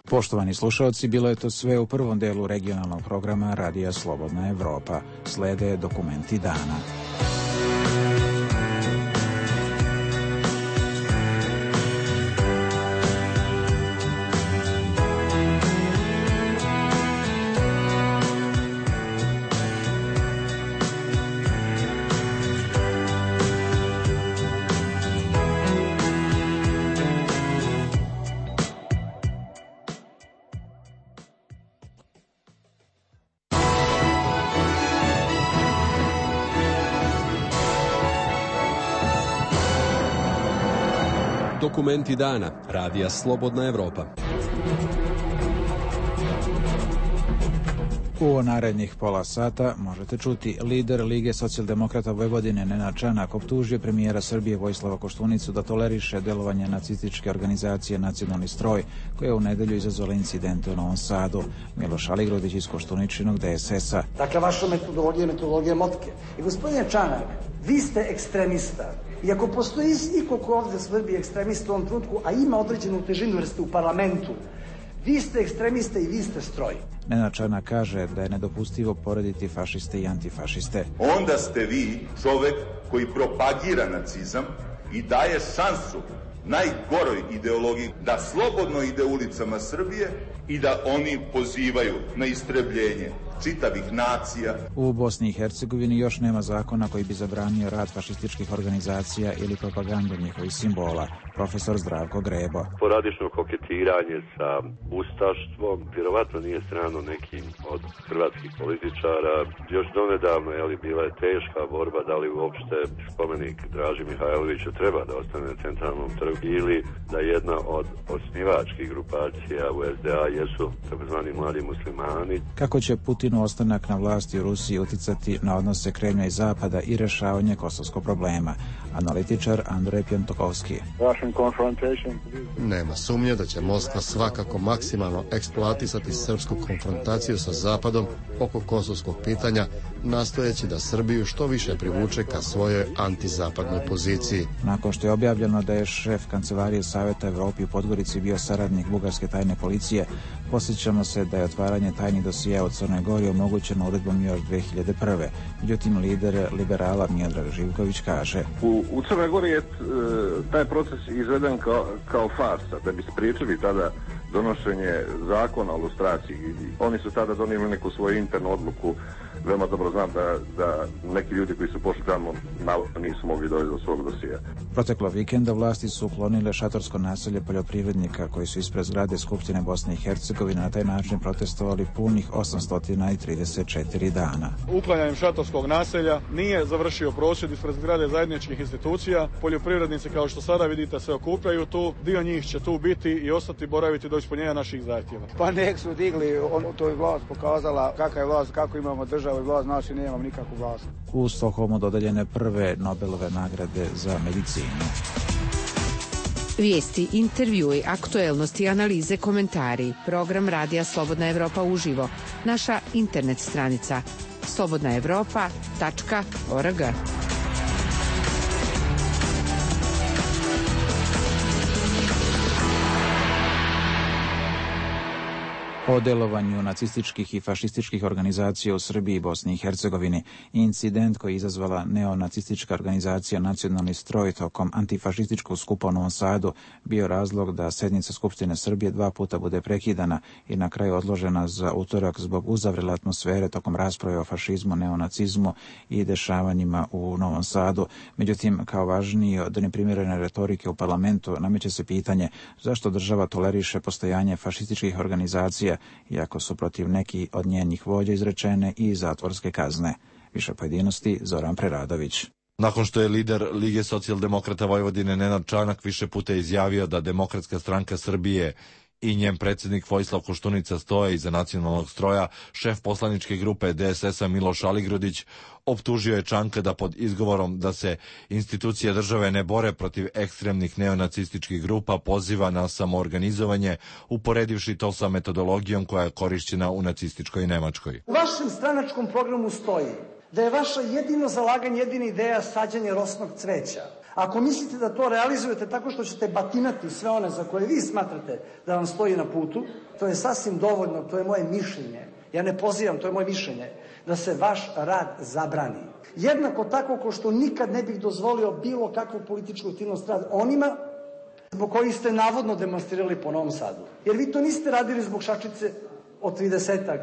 Poštovani slušalci, bilo je to sve u prvom delu regionalnog programa Radija Slobodna Evropa. Slede dokumenti dana. Dokumenti dana. Radija Slobodna Evropa. U narednih pola sata možete čuti lider Lige socijaldemokrata Vojvodine Nenad Čanak optužio premijera Srbije Vojislava Koštunicu da toleriše delovanje nacističke organizacije Nacionalni stroj, koja je u nedelju izazvala incidente u Novom Sadu. Miloš Aligrudić iz Koštuničinog D S S-a. Dakle, vaša metodologija je metodologija motke. I gospodine Čanak, vi ste ekstremista. I ako postoji iko ko ovdje Srbije ekstremista u ovom trenutku, a ima određenu težinu jer ste u parlamentu, vi ste ekstremiste i vi ste stroj. Nenad Čanak kaže da je nedopustivo porediti fašiste i antifašiste. Onda ste vi čovek koji propagira nacizam i daje šansu najgoroj ideologiji da slobodno ide ulicama Srbije i da oni pozivaju na istrebljenje čitavih nacija. U Bosni i Hercegovini još nema zakona koji bi zabranio rad fašističkih organizacija ili propagandu njihovih simbola. Profesor Zdravko Grebo. Poradično koketiranje sa ustaštvom vjerovatno nije strano nekim od hrvatskih političara. Još donedavno je li bila je teška borba da li uopšte spomenik Draži Mihajloviću treba da ostane na centralnom trgu ili da jedna od osnivačkih grupacija u S D A jesu takozvani mladi muslimani. Kako će Putinu ostanak na vlasti u Rusiji uticati na odnose Kremlja i Zapada i rešavanje kosovskog problema? Analitičar Andrej Pjantokovski. Nema sumnje da će Moskva svakako maksimalno eksploatisati srpsku konfrontaciju sa Zapadom oko kosovskog pitanja, nastojeći da Srbiju što više privuče ka svojoj antizapadnoj poziciji. Nakon što je objavljeno da je šef Kancelarije Saveta Evropi u Podgorici bio saradnik bugarske tajne policije, posjećamo se da je otvaranje tajnih dosija u Crnoj Gori omogućeno uredbom još dve hiljade prve. Međutim, lider liberala Miodrag Živković kaže: U, u Crnoj Gori je taj proces izveden kao, kao farsa, da bi spriječili tada donošenje zakona o lustraciji. Oni su tada donijeli neku svoju internu odluku. Veoma dobro znam da, da neki ljudi koji su pošli tamo nisu mogli doći do svog dosija. Proteklo vikenda vlasti su uklonile šatorsko naselje poljoprivrednika koji su ispred zgrade Skupštine Bosne i Hercegovine na taj način protestovali punih osamsto trideset četiri dana. Uklanjanjem šatorskog naselja nije završio prosvjed ispred zgrade zajedničkih institucija. Poljoprivrednici, kao što sada vidite, se okupljaju tu. Dio njih će tu biti i ostati boraviti do ispunjenja naših zahtjeva. Pa nek su digli, on, to je vlast pokazala kakva je vlast, kako imamo državu i vlast, naši nemamo nikakvu vlast. U Stokholmu dodeljene prve Nobelove nagrade za medicinu. Vijesti, intervjui, aktuelnosti, analize, komentari. Program Radija Slobodna Evropa uživo. Naša internet stranica slobodna evropa tačka org. o delovanju nacističkih i fašističkih organizacija u Srbiji i Bosni i Hercegovini. Incident koji je izazvala neonacistička organizacija Nacionalni stroj tokom antifašističkog skupa u Novom Sadu bio razlog da sednica Skupštine Srbije dva puta bude prekidana i na kraju odložena za utorak zbog uzavrele atmosfere tokom rasprave o fašizmu, neonacizmu i dešavanjima u Novom Sadu. Međutim, kao važniji od neprimjerene retorike u parlamentu nameće se pitanje zašto država toleriše postojanje fašističkih organizacija iako su protiv nekih od njenih vođa izrečene i zatvorske kazne. Više pojedinosti Zoran Preradović. Nakon što je lider Lige socijaldemokrata Vojvodine Nenad Čanak više puta izjavio da Demokratska stranka Srbije i njen predsjednik Vojislav Koštunica stoje iza nacionalnog stroja, šef poslaničke grupe D S S-a Miloš Aligrudić optužio je Čanka da pod izgovorom da se institucije države ne bore protiv ekstremnih neonacističkih grupa poziva na samoorganizovanje, uporedivši to sa metodologijom koja je korišćena u nacističkoj Nemačkoj. U vašem stranačkom programu stoji da je vaša jedino zalaganje, jedina ideja sađanje rosnog cveća. Ako mislite da to realizujete tako što ćete batinati sve one za koje vi smatrate da vam stoji na putu, to je sasvim dovoljno, to je moje mišljenje. Ja ne pozivam, to je moje mišljenje, da se vaš rad zabrani. Jednako tako ko što nikad ne bih dozvolio bilo kakvu političku aktivnost rad onima zbog kojih ste navodno demonstrirali po Novom Sadu. Jer vi to niste radili zbog šačice od tridesetak,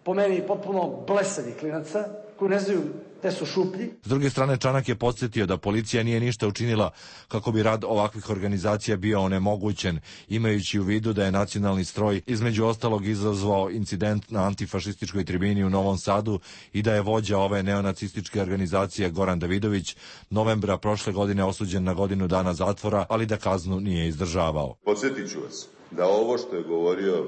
po meni potpuno blesavih klinaca, koji ne znaju te su šuplji. S druge strane, Čanak je podsjetio da policija nije ništa učinila kako bi rad ovakvih organizacija bio onemogućen, imajući u vidu da je nacionalni stroj između ostalog izazvao incident na antifašističkoj tribini u Novom Sadu i da je vođa ove neonacističke organizacije Goran Davidović novembra prošle godine osuđen na godinu dana zatvora, ali da kaznu nije izdržavao. Podsjetit ću vas da ovo što je govorio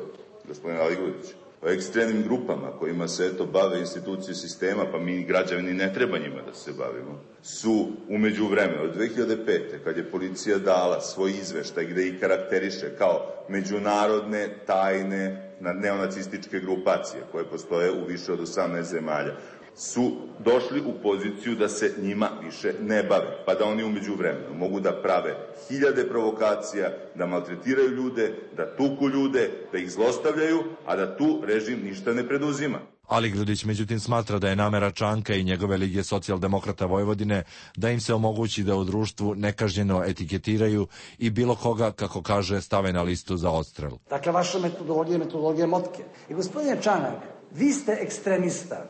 gospodin Aligrudić o ekstremnim grupama kojima se eto bave institucije sistema, pa mi građani ne treba njima da se bavimo, su u međuvremenu od dve hiljade pete. kad je policija dala svoj izveštaj gde ih karakteriše kao međunarodne tajne neonacističke grupacije koje postoje u više od osamnaest zemalja, su došli u poziciju da se njima više ne bave, pa da oni umeđu vremenu mogu da prave hiljade provokacija, da maltretiraju ljude, da tuku ljude, da ih zlostavljaju, a da tu režim ništa ne preduzima. Aligrudić međutim smatra da je namera Čanka i njegove Lige socijaldemokrata Vojvodine da im se omogući da u društvu nekažnjeno etiketiraju i bilo koga, kako kaže, stave na listu za odstrel. Dakle, vaša metodologija je metodologija motke. I gospodine Čanak, vi ste ekstremista.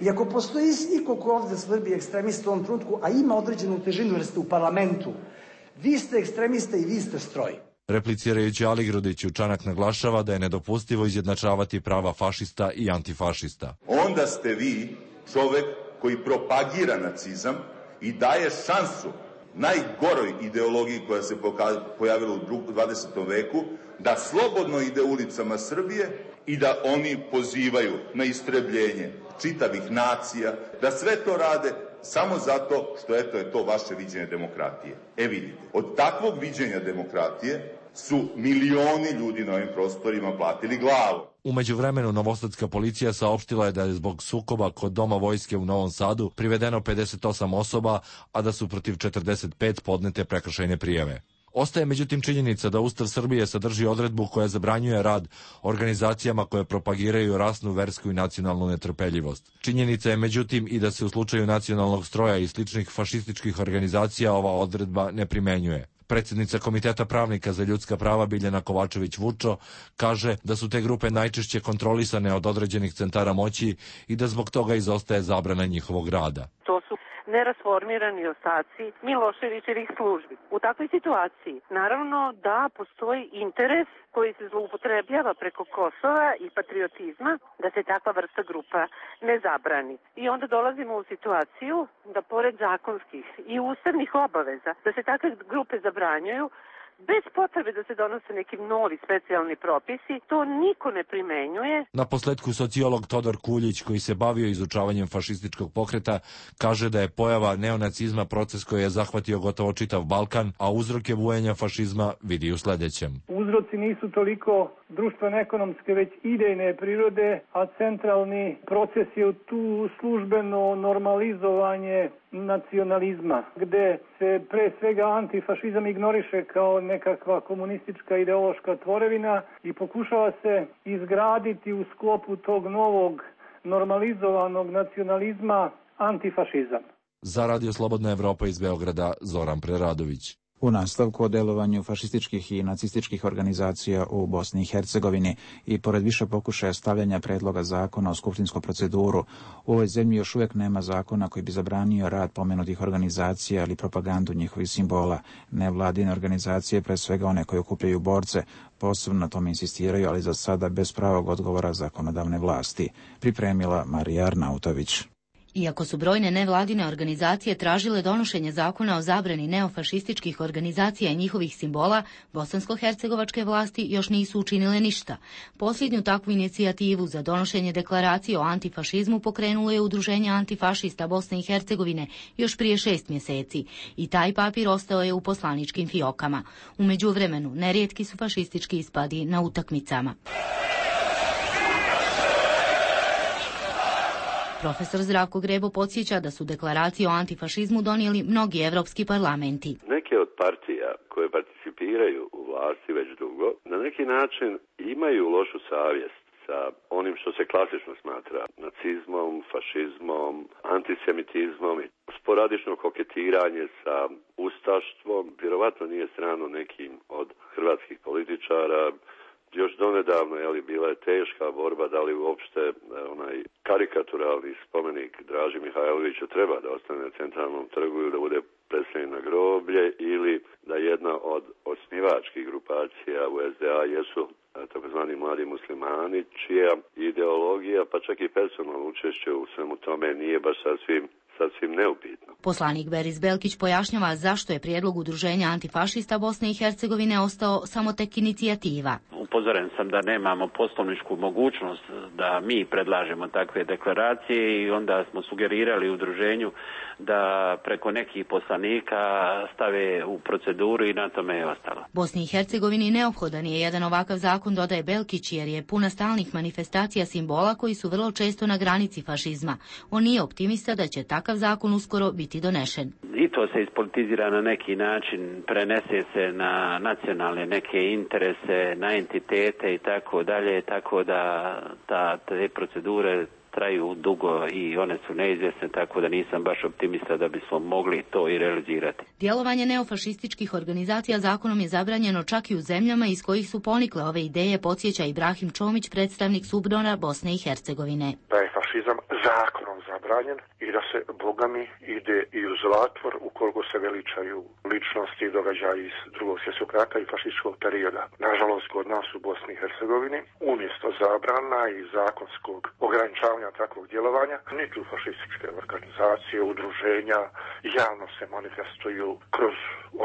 I ako postoji iko ko ovde svrbi ekstremista u ovom trenutku, a ima određenu težinu jer ste u parlamentu, vi ste ekstremista i vi ste stroj. Replicirajući Aligrudiću, Čanak naglašava da je nedopustivo izjednačavati prava fašista i antifašista. Onda ste vi čovek koji propagira nacizam i daje šansu najgoroj ideologiji koja se pojavila u dvadesetom veku da slobodno ide ulicama Srbije i da oni pozivaju na istrebljenje čitavih nacija, da sve to rade samo zato što eto je to vaše viđenje demokratije. E vidite, od takvog viđenja demokratije su milioni ljudi na ovim prostorima platili glavu. U međuvremenu novosadska policija saopštila je da je zbog sukoba kod Doma vojske u Novom Sadu privedeno pedeset osam osoba, a da su protiv četrdeset pet podnete prekršajne prijave. Ostaje međutim činjenica da Ustav Srbije sadrži odredbu koja zabranjuje rad organizacijama koje propagiraju rasnu, versku i nacionalnu netrpeljivost. Činjenica je međutim i da se u slučaju nacionalnog stroja i sličnih fašističkih organizacija ova odredba ne primenjuje. Predsjednica Komiteta pravnika za ljudska prava Biljana Kovačević-Vučo kaže da su te grupe najčešće kontrolisane od određenih centara moći i da zbog toga izostaje zabrana njihovog rada. To su nerasformirani ostaci Miloševićevih službi. U takvoj situaciji naravno da postoji interes koji se zloupotrebljava preko Kosova i patriotizma da se takva vrsta grupa ne zabrani. I onda dolazimo u situaciju da pored zakonskih i ustavnih obaveza da se takve grupe zabranjuju, bez potrebe da se donose neki novi specijalni propisi, to niko ne primenjuje. Na posledku sociolog Todor Kuljić, koji se bavio izučavanjem fašističkog pokreta, kaže da je pojava neonacizma proces koji je zahvatio gotovo čitav Balkan, a uzroke bujenja fašizma vidi u sledećem. Uzroci nisu toliko društveno-ekonomske, već idejne prirode, a centralni proces je tu službeno normalizovanje nacionalizma, gde se pre svega antifašizam ignoriše kao nekakva komunistička ideološka tvorevina i pokušava se izgraditi u sklopu tog novog normalizovanog nacionalizma antifašizam. Za Radio Slobodna Evropa iz Beograda, Zoran Preradović. U nastavku o delovanju fašističkih i nacističkih organizacija u Bosni i Hercegovini i pored više pokušaja stavljanja predloga zakona u skupštinsku proceduru, u ovoj zemlji još uvijek nema zakona koji bi zabranio rad pomenutih organizacija ili propagandu njihovih simbola. Nevladine organizacije, pre svega one koje okupljaju borce, posebno na tome insistiraju, ali za sada bez pravog odgovora zakonodavne vlasti. Pripremila Marija Arnautović. Iako su brojne nevladine organizacije tražile donošenje zakona o zabrani neofašističkih organizacija i njihovih simbola, bosansko-hercegovačke vlasti još nisu učinile ništa. Posljednju takvu inicijativu za donošenje deklaracije o antifašizmu pokrenulo je Udruženje antifašista Bosne i Hercegovine još prije šest mjeseci i taj papir ostao je u poslaničkim fiokama. U međuvremenu, nerijetki su fašistički ispadi na utakmicama. Profesor Zdravko Grebo podsjeća da su deklaraciju o antifašizmu donijeli mnogi evropski parlamenti. Neke od partija koje participiraju u vlasti već dugo, na neki način imaju lošu savjest sa onim što se klasično smatra nacizmom, fašizmom, antisemitizmom i sporadično koketiranje sa ustaštvom. Vjerovatno nije strano nekim od hrvatskih političara. Još donedavno je li bila je teška borba da li uopšte onaj karikaturalni spomenik Draži Mihajloviću treba da ostane na centralnom trgu ili da bude predstavljen na groblje ili da jedna od osnivačkih grupacija u es de a jesu takozvani mladi muslimani čija ideologija pa čak i personalno učešće u svemu tome nije baš sasvim sasvim neupitno. Poslanik Beris Belkić pojašnjava zašto je prijedlog Udruženja antifašista Bosne i Hercegovine ostao samo tek inicijativa. Upozoren sam da nemamo poslovničku mogućnost da mi predlažemo takve deklaracije i onda smo sugerirali udruženju da preko nekih poslanika stave u proceduru i na tome je ostalo. Bosni i Hercegovini neophodan je jedan ovakav zakon, dodaje Belkić, jer je puna stalnih manifestacija simbola koji su vrlo često na granici fašizma. On nije optimista da će takav zakon uskoro biti donešen. I to se ispolitizira na neki način, prenese se na nacionalne neke interese, na entitete i tako dalje, tako da ta, te procedure traju dugo i one su neizvjesne, tako da nisam baš optimista da bismo mogli to i realizirati. Djelovanje neofašističkih organizacija zakonom je zabranjeno čak i u zemljama iz kojih su ponikle ove ideje, podsjeća Ibrahim Čomić, predstavnik Subdona Bosne i Hercegovine. Da je fašizam zakonom zabranjen i da se, bogami, ide i u zatvor ukoliko se veličaju ličnosti i događaji iz drugog svjetskog rata i fašističkog perioda. Nažalost, kod nas u Bosni i Hercegovini, umjesto zabrana i zakonskog ograničavanja takvog djelovanja, niti fašističke organizacije, udruženja javno se manifestuju kroz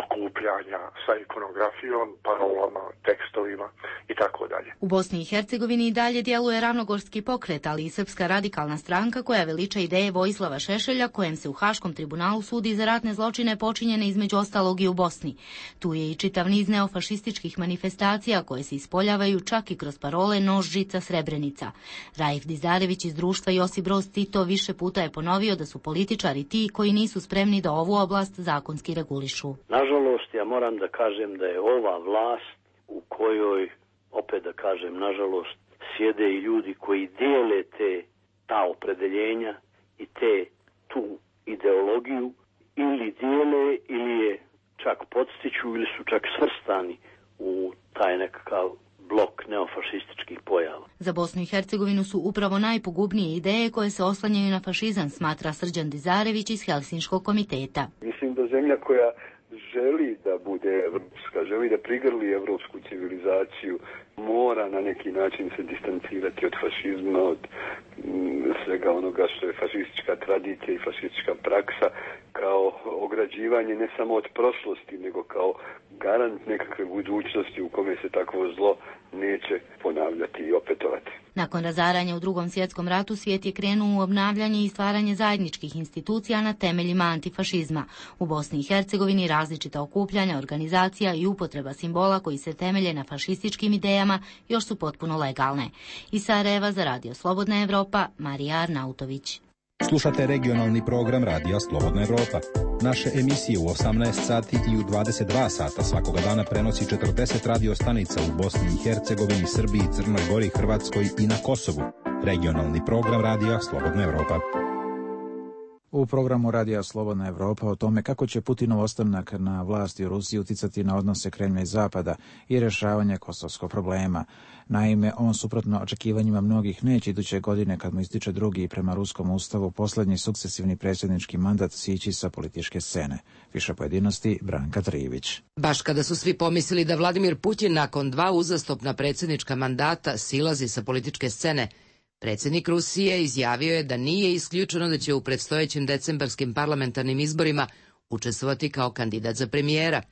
okupljanja sa ikonografijom, parolama, tekstovima i tako dalje. U Bosni i Hercegovini i dalje djeluje Ravnogorski pokret, ali i Srpska radikalna stranka koja veliča ideje Vojislava Šešelja, kojem se u Haškom tribunalu sudi za ratne zločine počinjene između ostalog i u Bosni. Tu je i čitav niz neofašističkih manifestacija koje se ispoljavaju čak i kroz parole Nož, žica, Srebrenica. Raif Dizarević iz društva Josip Broz Tito više puta je ponovio da su političari ti koji nisu spremni da ovu oblast zakonski regulišu. Nažalost, ja moram da kažem da je ova vlast u kojoj, opet da kažem, nažalost, sjede i ljudi koji dijele te, ta opredeljenja i te, tu ideologiju, ili dijele ili je čak podstiču ili su čak svrstani u taj nekakav blok neofašističkih pojava. Za Bosnu i Hercegovinu su upravo najpogubnije ideje koje se oslanjaju na fašizam, smatra Srđan Dizarević iz Helsinškog komiteta. Mislim da zemlja koja želi da bude evropska, želi da prigrli evropsku civilizaciju, mora na neki način se distancirati od fašizma, od m, svega onoga što je fašistička tradicija i fašistička praksa, kao ograđivanje ne samo od prošlosti, nego kao garant nekakve budućnosti u kome se takvo zlo neće ponavljati i opetovati. Nakon razaranja u Drugom svjetskom ratu svijet je krenuo u obnavljanje i stvaranje zajedničkih institucija na temeljima antifašizma. U Bosni i Hercegovini različita okupljanja, organizacija i upotreba simbola koji se temelje na fašističkim idejama još su potpuno legalne. Iz Sarajeva za Radio Slobodna Evropa, Marija Arnautović. Slušate regionalni program Radija Slobodna Evropa. Naše emisije u osamnaest sati i u dvadeset dva sata svakoga dana prenosi četrdeset radio stanica u Bosni i Hercegovini, Srbiji, Crnoj Gori, Hrvatskoj i na Kosovu. Regionalni program Radija Slobodna Evropa. U programu Radija Slobodna Evropa o tome kako će Putinov ostanak na vlasti u Rusiji uticati na odnose Kremlja i Zapada i rješavanje kosovskog problema. Naime, on suprotno očekivanjima mnogih neće iduće godine, kad mu ističe drugi i prema ruskom ustavu posljednji sukcesivni predsjednički mandat, sići sa političke scene. Više pojedinosti Branka Trivić. Baš kada su svi pomislili da Vladimir Putin nakon dva uzastopna predsjednička mandata silazi sa političke scene, predsjednik Rusije izjavio je da nije isključeno da će u predstojećim decembarskim parlamentarnim izborima učestvovati kao kandidat za premijera.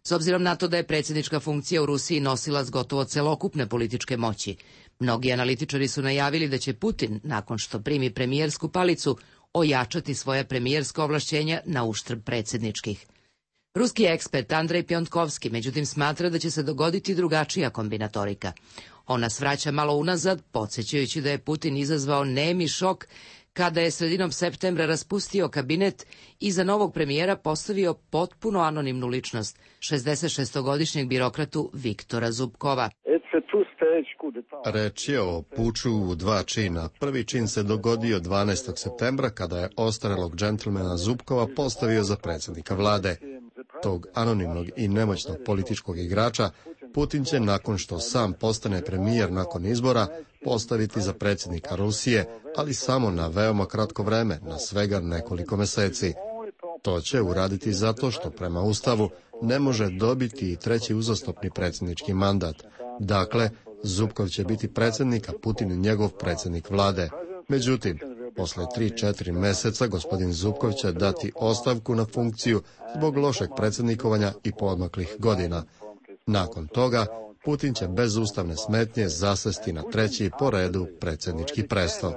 S obzirom na to da je predsjednička funkcija u Rusiji nosilac gotovo celokupne političke moći, mnogi analitičari su najavili da će Putin, nakon što primi premijersku palicu, ojačati svoja premijerska ovlašćenja na uštrb predsjedničkih. Ruski ekspert Andrej Pjontkovski međutim smatra da će se dogoditi drugačija kombinatorika. On nas vraća malo unazad, podsjećajući da je Putin izazvao nemi šok kada je sredinom septembra raspustio kabinet i za novog premijera postavio potpuno anonimnu ličnost, šezdesetšestogodišnjeg birokratu Viktora Zubkova. Reč je o puču u dva čina. Prvi čin se dogodio dvanaestog septembra kada je ostarelog džentlmena Zubkova postavio za predsjednika vlade. Tog anonimnog i nemoćnog političkog igrača Putin će, nakon što sam postane premijer nakon izbora, postaviti za predsjednika Rusije, ali samo na veoma kratko vreme, na svega nekoliko meseci. To će uraditi zato što prema Ustavu ne može dobiti i treći uzastopni predsjednički mandat. Dakle, Zubkov će biti predsjednik, a Putin njegov predsjednik vlade. Međutim, posle tri četiri meseca gospodin Zubkov će dati ostavku na funkciju zbog lošeg predsjednikovanja i poodmaklih godina. Nakon toga, Putin će bez ustavne smetnje zasesti na treći po redu predsjednički presto.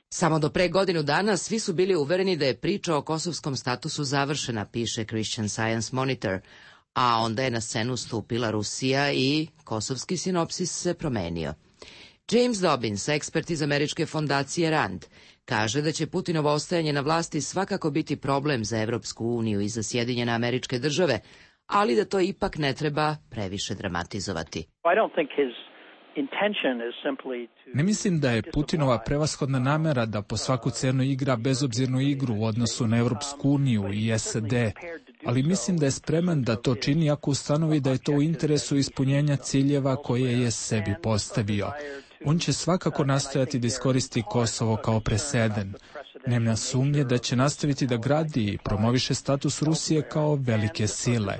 Samo do pre godinu dana svi su bili uvereni da je priča o kosovskom statusu završena, piše Christian Science Monitor, a onda je na scenu stupila Rusija i kosovski sinopsis se promenio. James Dobbins, ekspert iz američke fondacije Rand, kaže da će Putinovo ostajanje na vlasti svakako biti problem za Evropsku uniju i za Sjedinjene Američke Države, ali da to ipak ne treba previše dramatizovati. Ne mislim da je Putinova prevashodna namera da po svaku cenu igra bezobzirnu igru u odnosu na Evropsku uniju i S A D, ali mislim da je spreman da to čini ako ustanovi da je to u interesu ispunjenja ciljeva koje je sebi postavio. On će svakako nastojati da iskoristi Kosovo kao preseden. Nema sumnje da će nastaviti da gradi i promoviše status Rusije kao velike sile.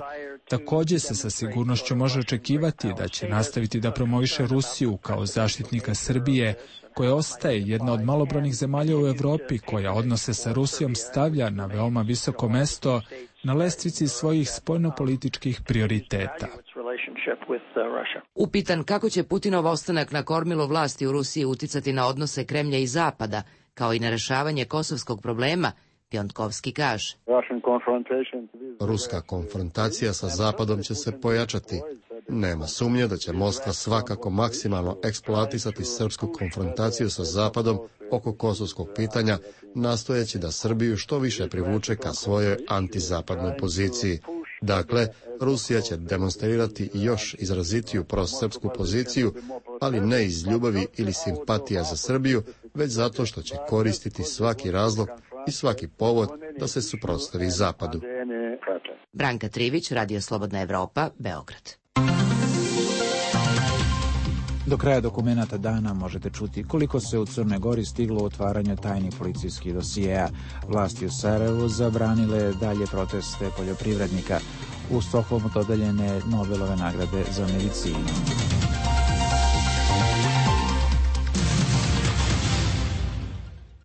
Također se sa sigurnošću može očekivati da će nastaviti da promoviše Rusiju kao zaštitnika Srbije, koja ostaje jedna od malobrojnih zemalja u Evropi koja odnose sa Rusijom stavlja na veoma visoko mesto na lestvici svojih spoljnopolitičkih prioriteta. Upitan kako će Putinov ostanak na kormilu vlasti u Rusiji uticati na odnose Kremlja i Zapada, kao i na rešavanje kosovskog problema, Pjontkovski kaže. Ruska konfrontacija sa Zapadom će se pojačati. Nema sumnje da će Moskva svakako maksimalno eksploatisati srpsku konfrontaciju sa Zapadom oko kosovskog pitanja, nastojeći da Srbiju što više privuče ka svojoj antizapadnoj poziciji. Dakle, Rusija će demonstrirati još izrazitiju prosrpsku poziciju, ali ne iz ljubavi ili simpatija za Srbiju, već zato što će koristiti svaki razlog i svaki povod da se suprotstavi Zapadu. Branka Trivić, Radio Slobodna Evropa, Beograd. Do kraja dokumenata dana možete čuti koliko se u Crnoj Gori stiglo u otvaranju tajnih policijskih dosijeja. Vlasti u Sarajevu zabranile dalje proteste poljoprivrednika. U Stokholmu dodeljene Nobelove nagrade za medicinu.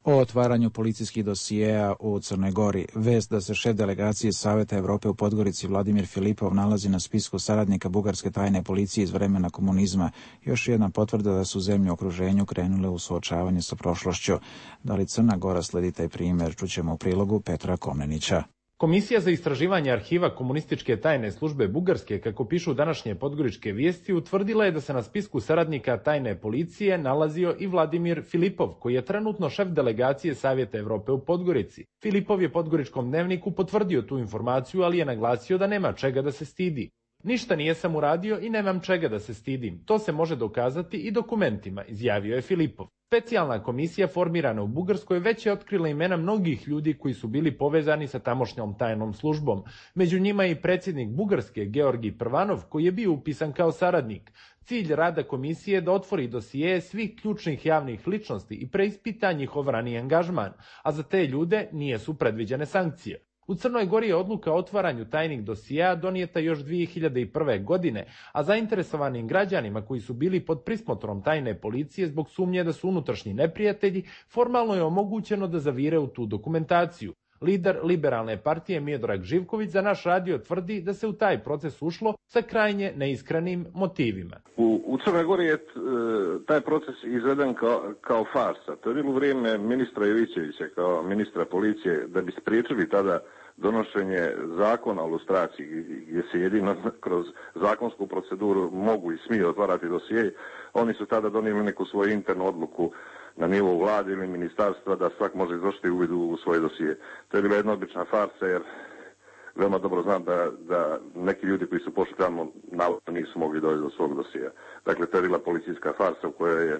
O otvaranju policijskih dosijeja u Crnoj Gori. Vest da se šef delegacije Saveta Evrope u Podgorici Vladimir Filipov nalazi na spisku saradnika bugarske tajne policije iz vremena komunizma. Još jedna potvrda da su zemlje u okruženju krenule u suočavanje sa prošlošću. Da li Crna Gora sledi taj primjer, čućemo u prilogu Petra Komnenića. Komisija za istraživanje arhiva komunističke tajne službe Bugarske, kako pišu današnje podgoričke vijesti, utvrdila je da se na spisku saradnika tajne policije nalazio i Vladimir Filipov, koji je trenutno šef delegacije Savjeta Evrope u Podgorici. Filipov je Podgoričkom dnevniku potvrdio tu informaciju, ali je naglasio da nema čega da se stidi. Ništa nije sam uradio i nemam čega da se stidim. To se može dokazati i dokumentima, izjavio je Filipov. Specijalna komisija formirana u Bugarskoj već je otkrila imena mnogih ljudi koji su bili povezani sa tamošnjom tajnom službom. Među njima i predsjednik Bugarske Georgij Prvanov, koji je bio upisan kao saradnik. Cilj rada komisije je da otvori dosije svih ključnih javnih ličnosti i preispita njihov raniji angažman, a za te ljude nisu predviđene sankcije. U Crnoj Gori je odluka o otvaranju tajnih dosija donijeta još dvije hiljade prve. godine, a zainteresovanim građanima koji su bili pod prismotrom tajne policije zbog sumnje da su unutrašnji neprijatelji, formalno je omogućeno da zavire u tu dokumentaciju. Lider liberalne partije Miodrag Živković za naš radio tvrdi da se u taj proces ušlo sa krajnje neiskrenim motivima. U, u Crnoj Gori je t, taj proces izveden kao, kao farsa. To je bilo vrijeme ministra Jovićevića kao ministra policije da bi spriječili tada donošenje zakona o lustraciji, gdje se jedino kroz zakonsku proceduru mogu i smiju otvarati dosije. Oni su tada donijeli neku svoju internu odluku na nivou vlade ili ministarstva da svak može izvršiti uvid u svoje dosije. To je bila jedna obična farsa, jer veoma dobro znam da, da neki ljudi koji su pošli tamo navodno nisu mogli doći do svog dosija. Dakle, to je bila policijska farsa u kojoj je,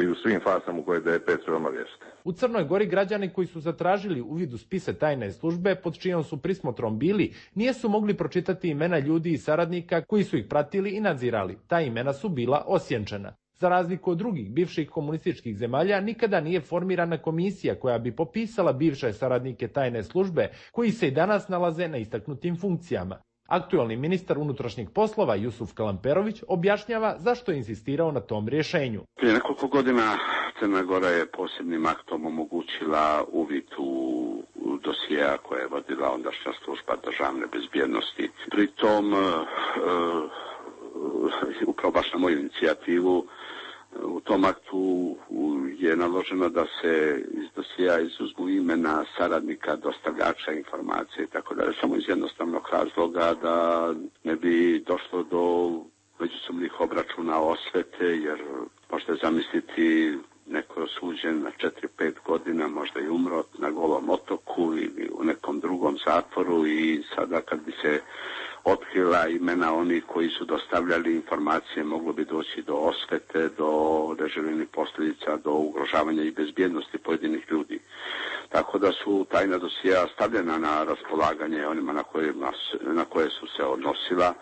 i u svim farsama u kojoj D P trebamo riješiti. U Crnoj Gori građani koji su zatražili uvid u spise tajne službe pod čijom su prismotrom bili, nisu mogli pročitati imena ljudi i saradnika koji su ih pratili i nadzirali. Ta imena su bila osjenčena. Za razliku od drugih bivših komunističkih zemalja, nikada nije formirana komisija koja bi popisala bivše saradnike tajne službe, koji se i danas nalaze na istaknutim funkcijama. Aktualni ministar unutrašnjih poslova Jusuf Kalamperović objašnjava zašto je insistirao na tom rješenju. Prije nekoliko godina Crna Gora je posebnim aktom omogućila uvid u dosjea koje je vodila ondašnja služba državne bezbjednosti. Pritom, uh, uh, upravo baš na moju inicijativu, u tom aktu je naloženo da se iz dosija izuzmu imena saradnika, dostavljača informacije i tako dalje, samo iz jednostavnog razloga da ne bi došlo do međusobnih obračuna, osvete, jer možete zamisliti neko osuđen na četiri pet godina, možda i umro na Golom otoku ili u nekom drugom zatvoru, i sada kad bi se otkrila imena onih koji su dostavljali informacije, moglo bi doći do osvete, do neželjenih posljedica, do ugrožavanja i bezbjednosti pojedinih ljudi. Tako da su tajna dosija stavljena na raspolaganje onima na, kojima, na koje su se odnosila,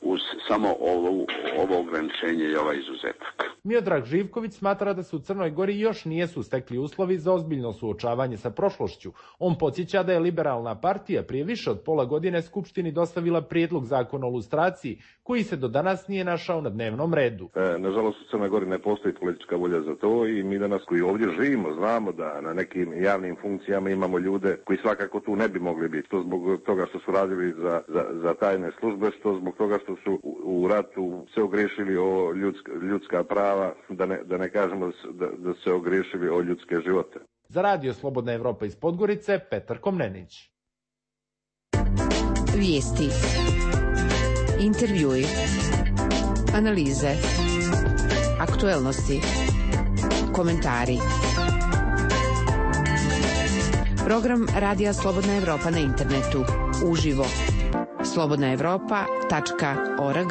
uz samo ovo, ovo ograničenje i ovaj izuzetak. Miodrag Živković smatra da se u Crnoj Gori još nijesu stekli uslovi za ozbiljno suočavanje sa prošlošću. On podsjeća da je liberalna partija prije više od pola godine Skupštini dostavila prijedlog zakona o lustraciji, koji se do danas nije našao na dnevnom redu. E, nažalost, u Crnoj Gori ne postoji politička volja za to, i mi danas koji ovdje živimo znamo da na nekim javnim funkcijama imamo ljude koji svakako tu ne bi mogli biti. To zbog toga što su radili za, za, za tajne službe, što zbog toga što su u, u ratu se ogriješili o ljudska, ljudska prava, da ne, da ne kažemo da, da se ogriješili o ljudske živote. Za radio Slobodna Evropa iz Podgorice, Petar Komnenić. Vijesti, intervjui, analize, aktuelnosti, komentari. Program Radija Slobodna Evropa na internetu, uživo, slobodna evropa tačka org.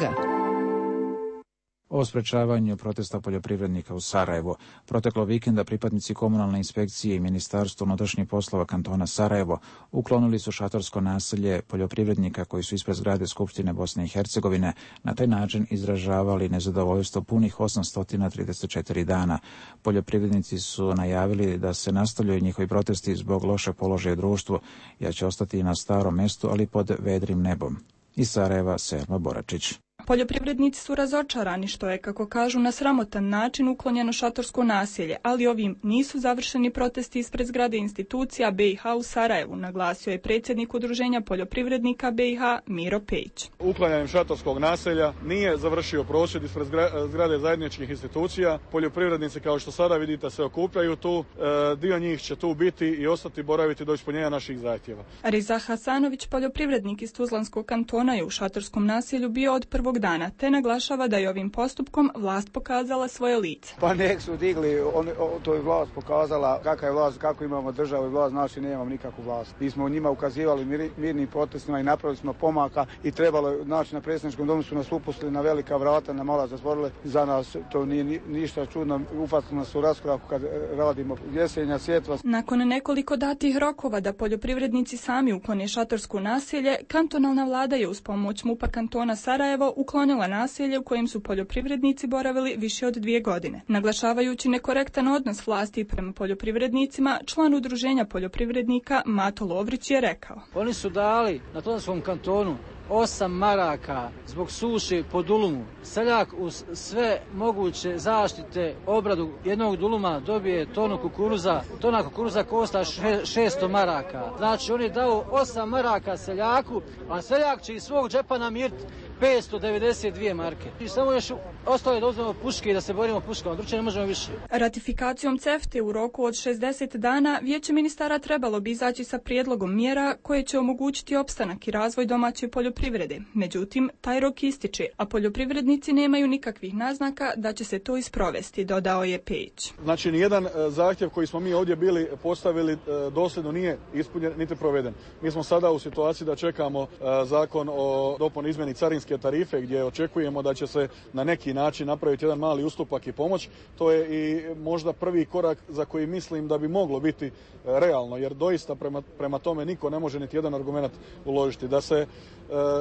O sprečavanju protesta poljoprivrednika u Sarajevo. Proteklo vikenda pripadnici komunalne inspekcije i Ministarstva unutrašnjih poslova kantona Sarajevo uklonili su šatorsko naselje poljoprivrednika koji su ispred zgrade Skupštine Bosne i Hercegovine na taj način izražavali nezadovoljstvo punih osamsto trideset četiri dana. Poljoprivrednici su najavili da se nastavljaju njihovi protesti zbog lošeg položaja u društvu, jer će ostati na starom mjestu, ali pod vedrim nebom. Iz Sarajeva, Selma Boračić. Poljoprivrednici su razočarani što je, kako kažu, na sramotan način uklonjeno šatorsko naselje, ali ovim nisu završeni protesti ispred zgrade institucija B i H u Sarajevu, naglasio je predsjednik Udruženja poljoprivrednika B i H Miro Pejić. Uklanjanjem šatorskog naselja nije završio prosvjed ispred zgrade zajedničkih institucija. Poljoprivrednici, kao što sada vidite, se okupljaju tu. E, dio njih će tu biti i ostati boraviti do ispunjenja naših zahtjeva. Riza Hasanović, poljoprivrednik iz Tuzlanskog kantona, je u šatorskom naselju bio od prvog dana, te naglašava da je ovim postupkom vlast pokazala svoje lice. Pa nek su digli, on, to je vlast pokazala kakva je vlast, kako imamo državu i vlast, znači nemamo nikakvu vlast. Mi smo njima ukazivali mir, mirnim protestima i napravili smo pomaka i trebalo je, znači na predsjedničkom domu su nas upustili na velika vrata, na mala zatvorili. Za nas to nije ni, ništa čudno, ufatili nas u raskoraku kad radimo jesenja, sjetva. Nakon nekoliko datih rokova da poljoprivrednici sami uklone šatorsko naselje, kantonalna vlada je uz pomoć MUP-a kantona Sarajevo uklonila naselje u kojem su poljoprivrednici boravili više od dvije godine. Naglašavajući nekorektan odnos vlasti prema poljoprivrednicima, član Udruženja poljoprivrednika Mato Lovrić je rekao: Oni su dali na Tuzlanskom kantonu osam maraka zbog suše po dulumu. Seljak uz sve moguće zaštite, obradu jednog duluma dobije tonu kukuruza. Tona kukuruza košta šesto maraka. Znači oni daju osam maraka seljaku, a seljak će iz svog džepa namiriti petsto devedeset dvije marke. I samo još ostalo je da uzmemo puške i da se borimo puškama, drugačije ne možemo više. Ratifikacijom C E F T-e u roku od šezdeset dana Vijeće ministara trebalo bi izaći sa prijedlogom mjera koje će omogućiti opstanak i razvoj domaće poljoprivrede. Međutim, taj rok ističe, a poljoprivrednici nemaju nikakvih naznaka da će se to isprovesti, dodao je Pejić. Znači, nijedan zahtjev koji smo mi ovdje bili postavili dosljedno nije ispunjen niti proveden. Mi smo sada u situaciji da čekamo zakon o dopuni izmjeni carinske tarife gdje očekujemo da će se na neki način napraviti jedan mali ustupak i pomoć. To je i možda prvi korak za koji mislim da bi moglo biti realno, jer doista prema, prema tome niko ne može niti jedan argument uložiti. Da se e,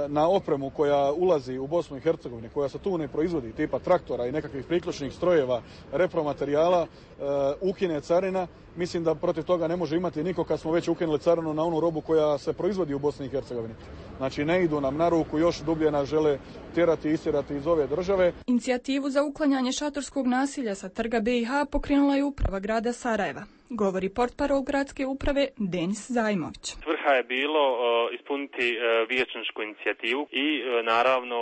na opremu koja ulazi u Bosnu i Hercegovinu, koja se tu ne proizvodi, tipa traktora i nekakvih priključnih strojeva, repromaterijala, e, ukine carina, mislim da protiv toga ne može imati niko kad smo već ukinuli carinu na onu robu koja se proizvodi u Bosni i Hercegovini. Znači ne idu nam na ruku, još dublje nas žele tjerati i istirati iz ove države. Inicijativu za uklanjanje šatorskog nasilja sa trga B i H pokrenula je uprava grada Sarajeva. Govori portparol gradske uprave Denis Zajmović. Svrha je bilo uh, ispuniti uh, vijećničku inicijativu i uh, naravno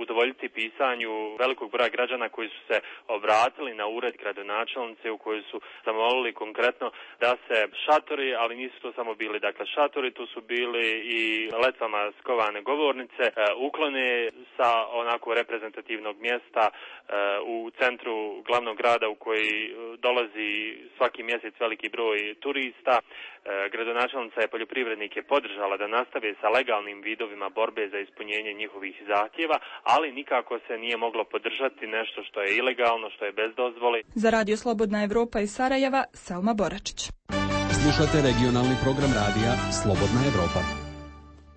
udovoljiti pisanju velikog broja građana koji su se obratili na ured gradonačelnice u kojoj su zamolili konkretno da se šatori, ali nisu to samo bili dakle šatori, tu su bili i letvama skovane govornice, uh, uklone sa onako reprezentativnog mjesta uh, u centru glavnog grada u koji uh, dolazi svaki mjesec veliki broj turista. E, gradonačelnica je poljoprivrednike podržala da nastave sa legalnim vidovima borbe za ispunjenje njihovih zahtjeva, ali nikako se nije moglo podržati nešto što je ilegalno, što je bez dozvole. Za Radio Slobodna Evropa iz Sarajeva, Selma Boračić. Slušate regionalni program radija Slobodna Evropa.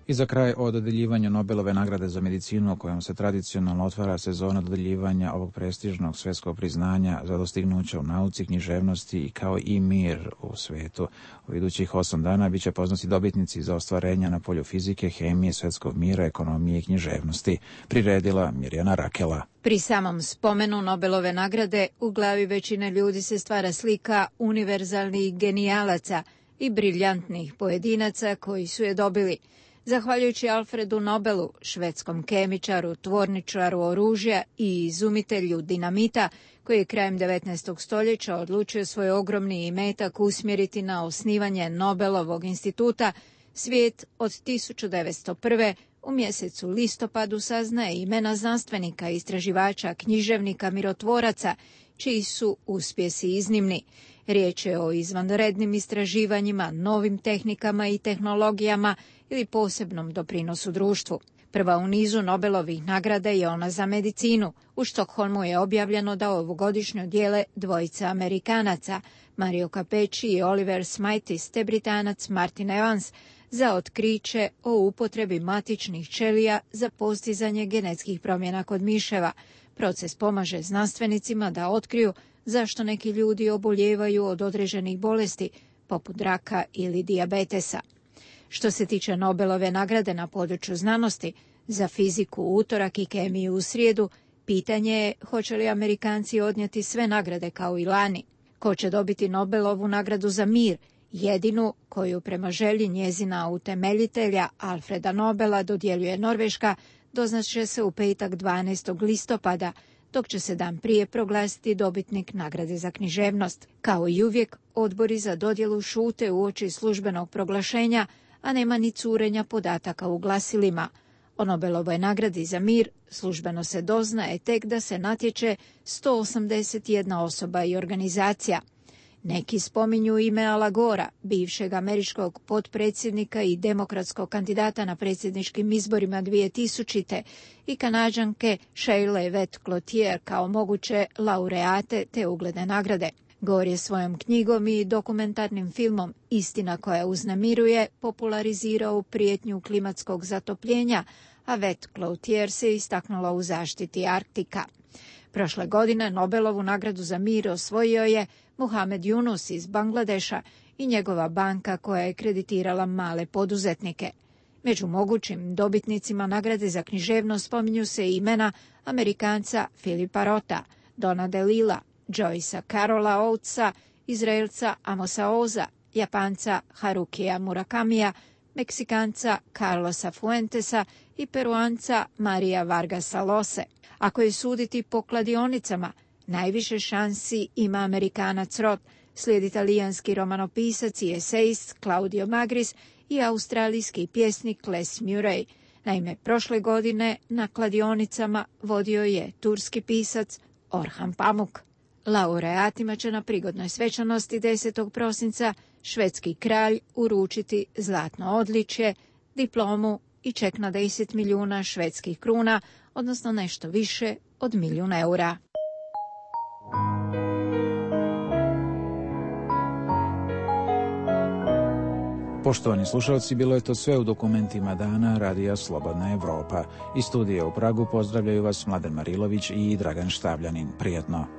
I za kraj o dodeljivanju Nobelove nagrade za medicinu, kojom se tradicionalno otvara sezona dodeljivanja ovog prestižnog svjetskog priznanja za dostignuća u nauci, književnosti i kao i mir u svijetu. U idućih osam dana bit će poznati dobitnici za ostvarenja na polju fizike, hemije, svjetskog mira, ekonomije i književnosti, priredila Mirjana Rakela. Pri samom spomenu Nobelove nagrade u glavi većine ljudi se stvara slika univerzalnih genijalaca i briljantnih pojedinaca koji su je dobili. Zahvaljujući Alfredu Nobelu, švedskom kemičaru, tvorničaru oružja i izumitelju dinamita, koji je krajem devetnaestog stoljeća odlučio svoj ogromni imetak usmjeriti na osnivanje Nobelovog instituta, svijet od tisuću devetsto prve. u mjesecu listopadu saznaje imena znanstvenika, istraživača, književnika, mirotvoraca, čiji su uspjesi iznimni. Riječ je o izvanrednim istraživanjima, novim tehnikama i tehnologijama ili posebnom doprinosu društvu. Prva u nizu Nobelovih nagrada je ona za medicinu. U Štokholmu je objavljeno da ovogodišnju dijele dvojica Amerikanaca, Mario Capecci i Oliver Smitis, te Britanac Martin Evans, za otkriće o upotrebi matičnih ćelija za postizanje genetskih promjena kod miševa. Proces pomaže znanstvenicima da otkriju zašto neki ljudi oboljevaju od određenih bolesti, poput raka ili dijabetesa. Što se tiče Nobelove nagrade na području znanosti, za fiziku u utorak i kemiju u srijedu, pitanje je hoće li Amerikanci odnijeti sve nagrade kao i lani. Ko će dobiti Nobelovu nagradu za mir, jedinu koju prema želji njezina utemeljitelja Alfreda Nobela dodjeljuje Norveška, doznaće se u petak dvanaestog listopada, dok će se dan prije proglasiti dobitnik nagrade za književnost. Kao i uvijek, odbori za dodjelu šute uoči službenog proglašenja, a nema ni curenja podataka u glasilima. O Nobelovoj nagradi za mir službeno se doznaje tek da se natječe sto osamdeset jedna osoba i organizacija. Neki spominju ime Ala Gora, bivšeg američkog potpredsjednika i demokratskog kandidata na predsjedničkim izborima dvije tisućite i Kanađanke Sheila Vett Cloutier kao moguće laureate te ugledne nagrade. Gore je svojom knjigom i dokumentarnim filmom Istina koja uznemiruje popularizirao prijetnju klimatskog zatopljenja, a Vett Cloutier se istaknula u zaštiti Arktika. Prošle godine Nobelovu nagradu za mir osvojio je Muhamed Yunus iz Bangladeša i njegova banka koja je kreditirala male poduzetnike. Među mogućim dobitnicima nagrade za književnost spominju se imena Amerikanca Filipa Rota, Dona DeLilla, Joycea Carola Oatesa, Izraelca Amosa Oza, Japanca Harukija Murakamija, Meksikanca Carlosa Fuentesa i Peruanca Maria Vargasa Lose. Ako je suditi po kladionicama, najviše šansi ima Amerikanac Rot, slijedi italijanski romanopisac i esejist Claudio Magris i australijski pjesnik Les Murray. Naime, prošle godine na kladionicama vodio je turski pisac Orhan Pamuk. Laureatima će na prigodnoj svečanosti desetog prosinca švedski kralj uručiti zlatno odličje, diplomu i ček na deset milijuna švedskih kruna, odnosno nešto više od milijun eura. Poštovani slušalci, bilo je to sve u dokumentima dana Radija Slobodna Evropa. Iz studija u Pragu pozdravljaju vas Mladen Marilović i Dragan Štavljanin. Prijetno.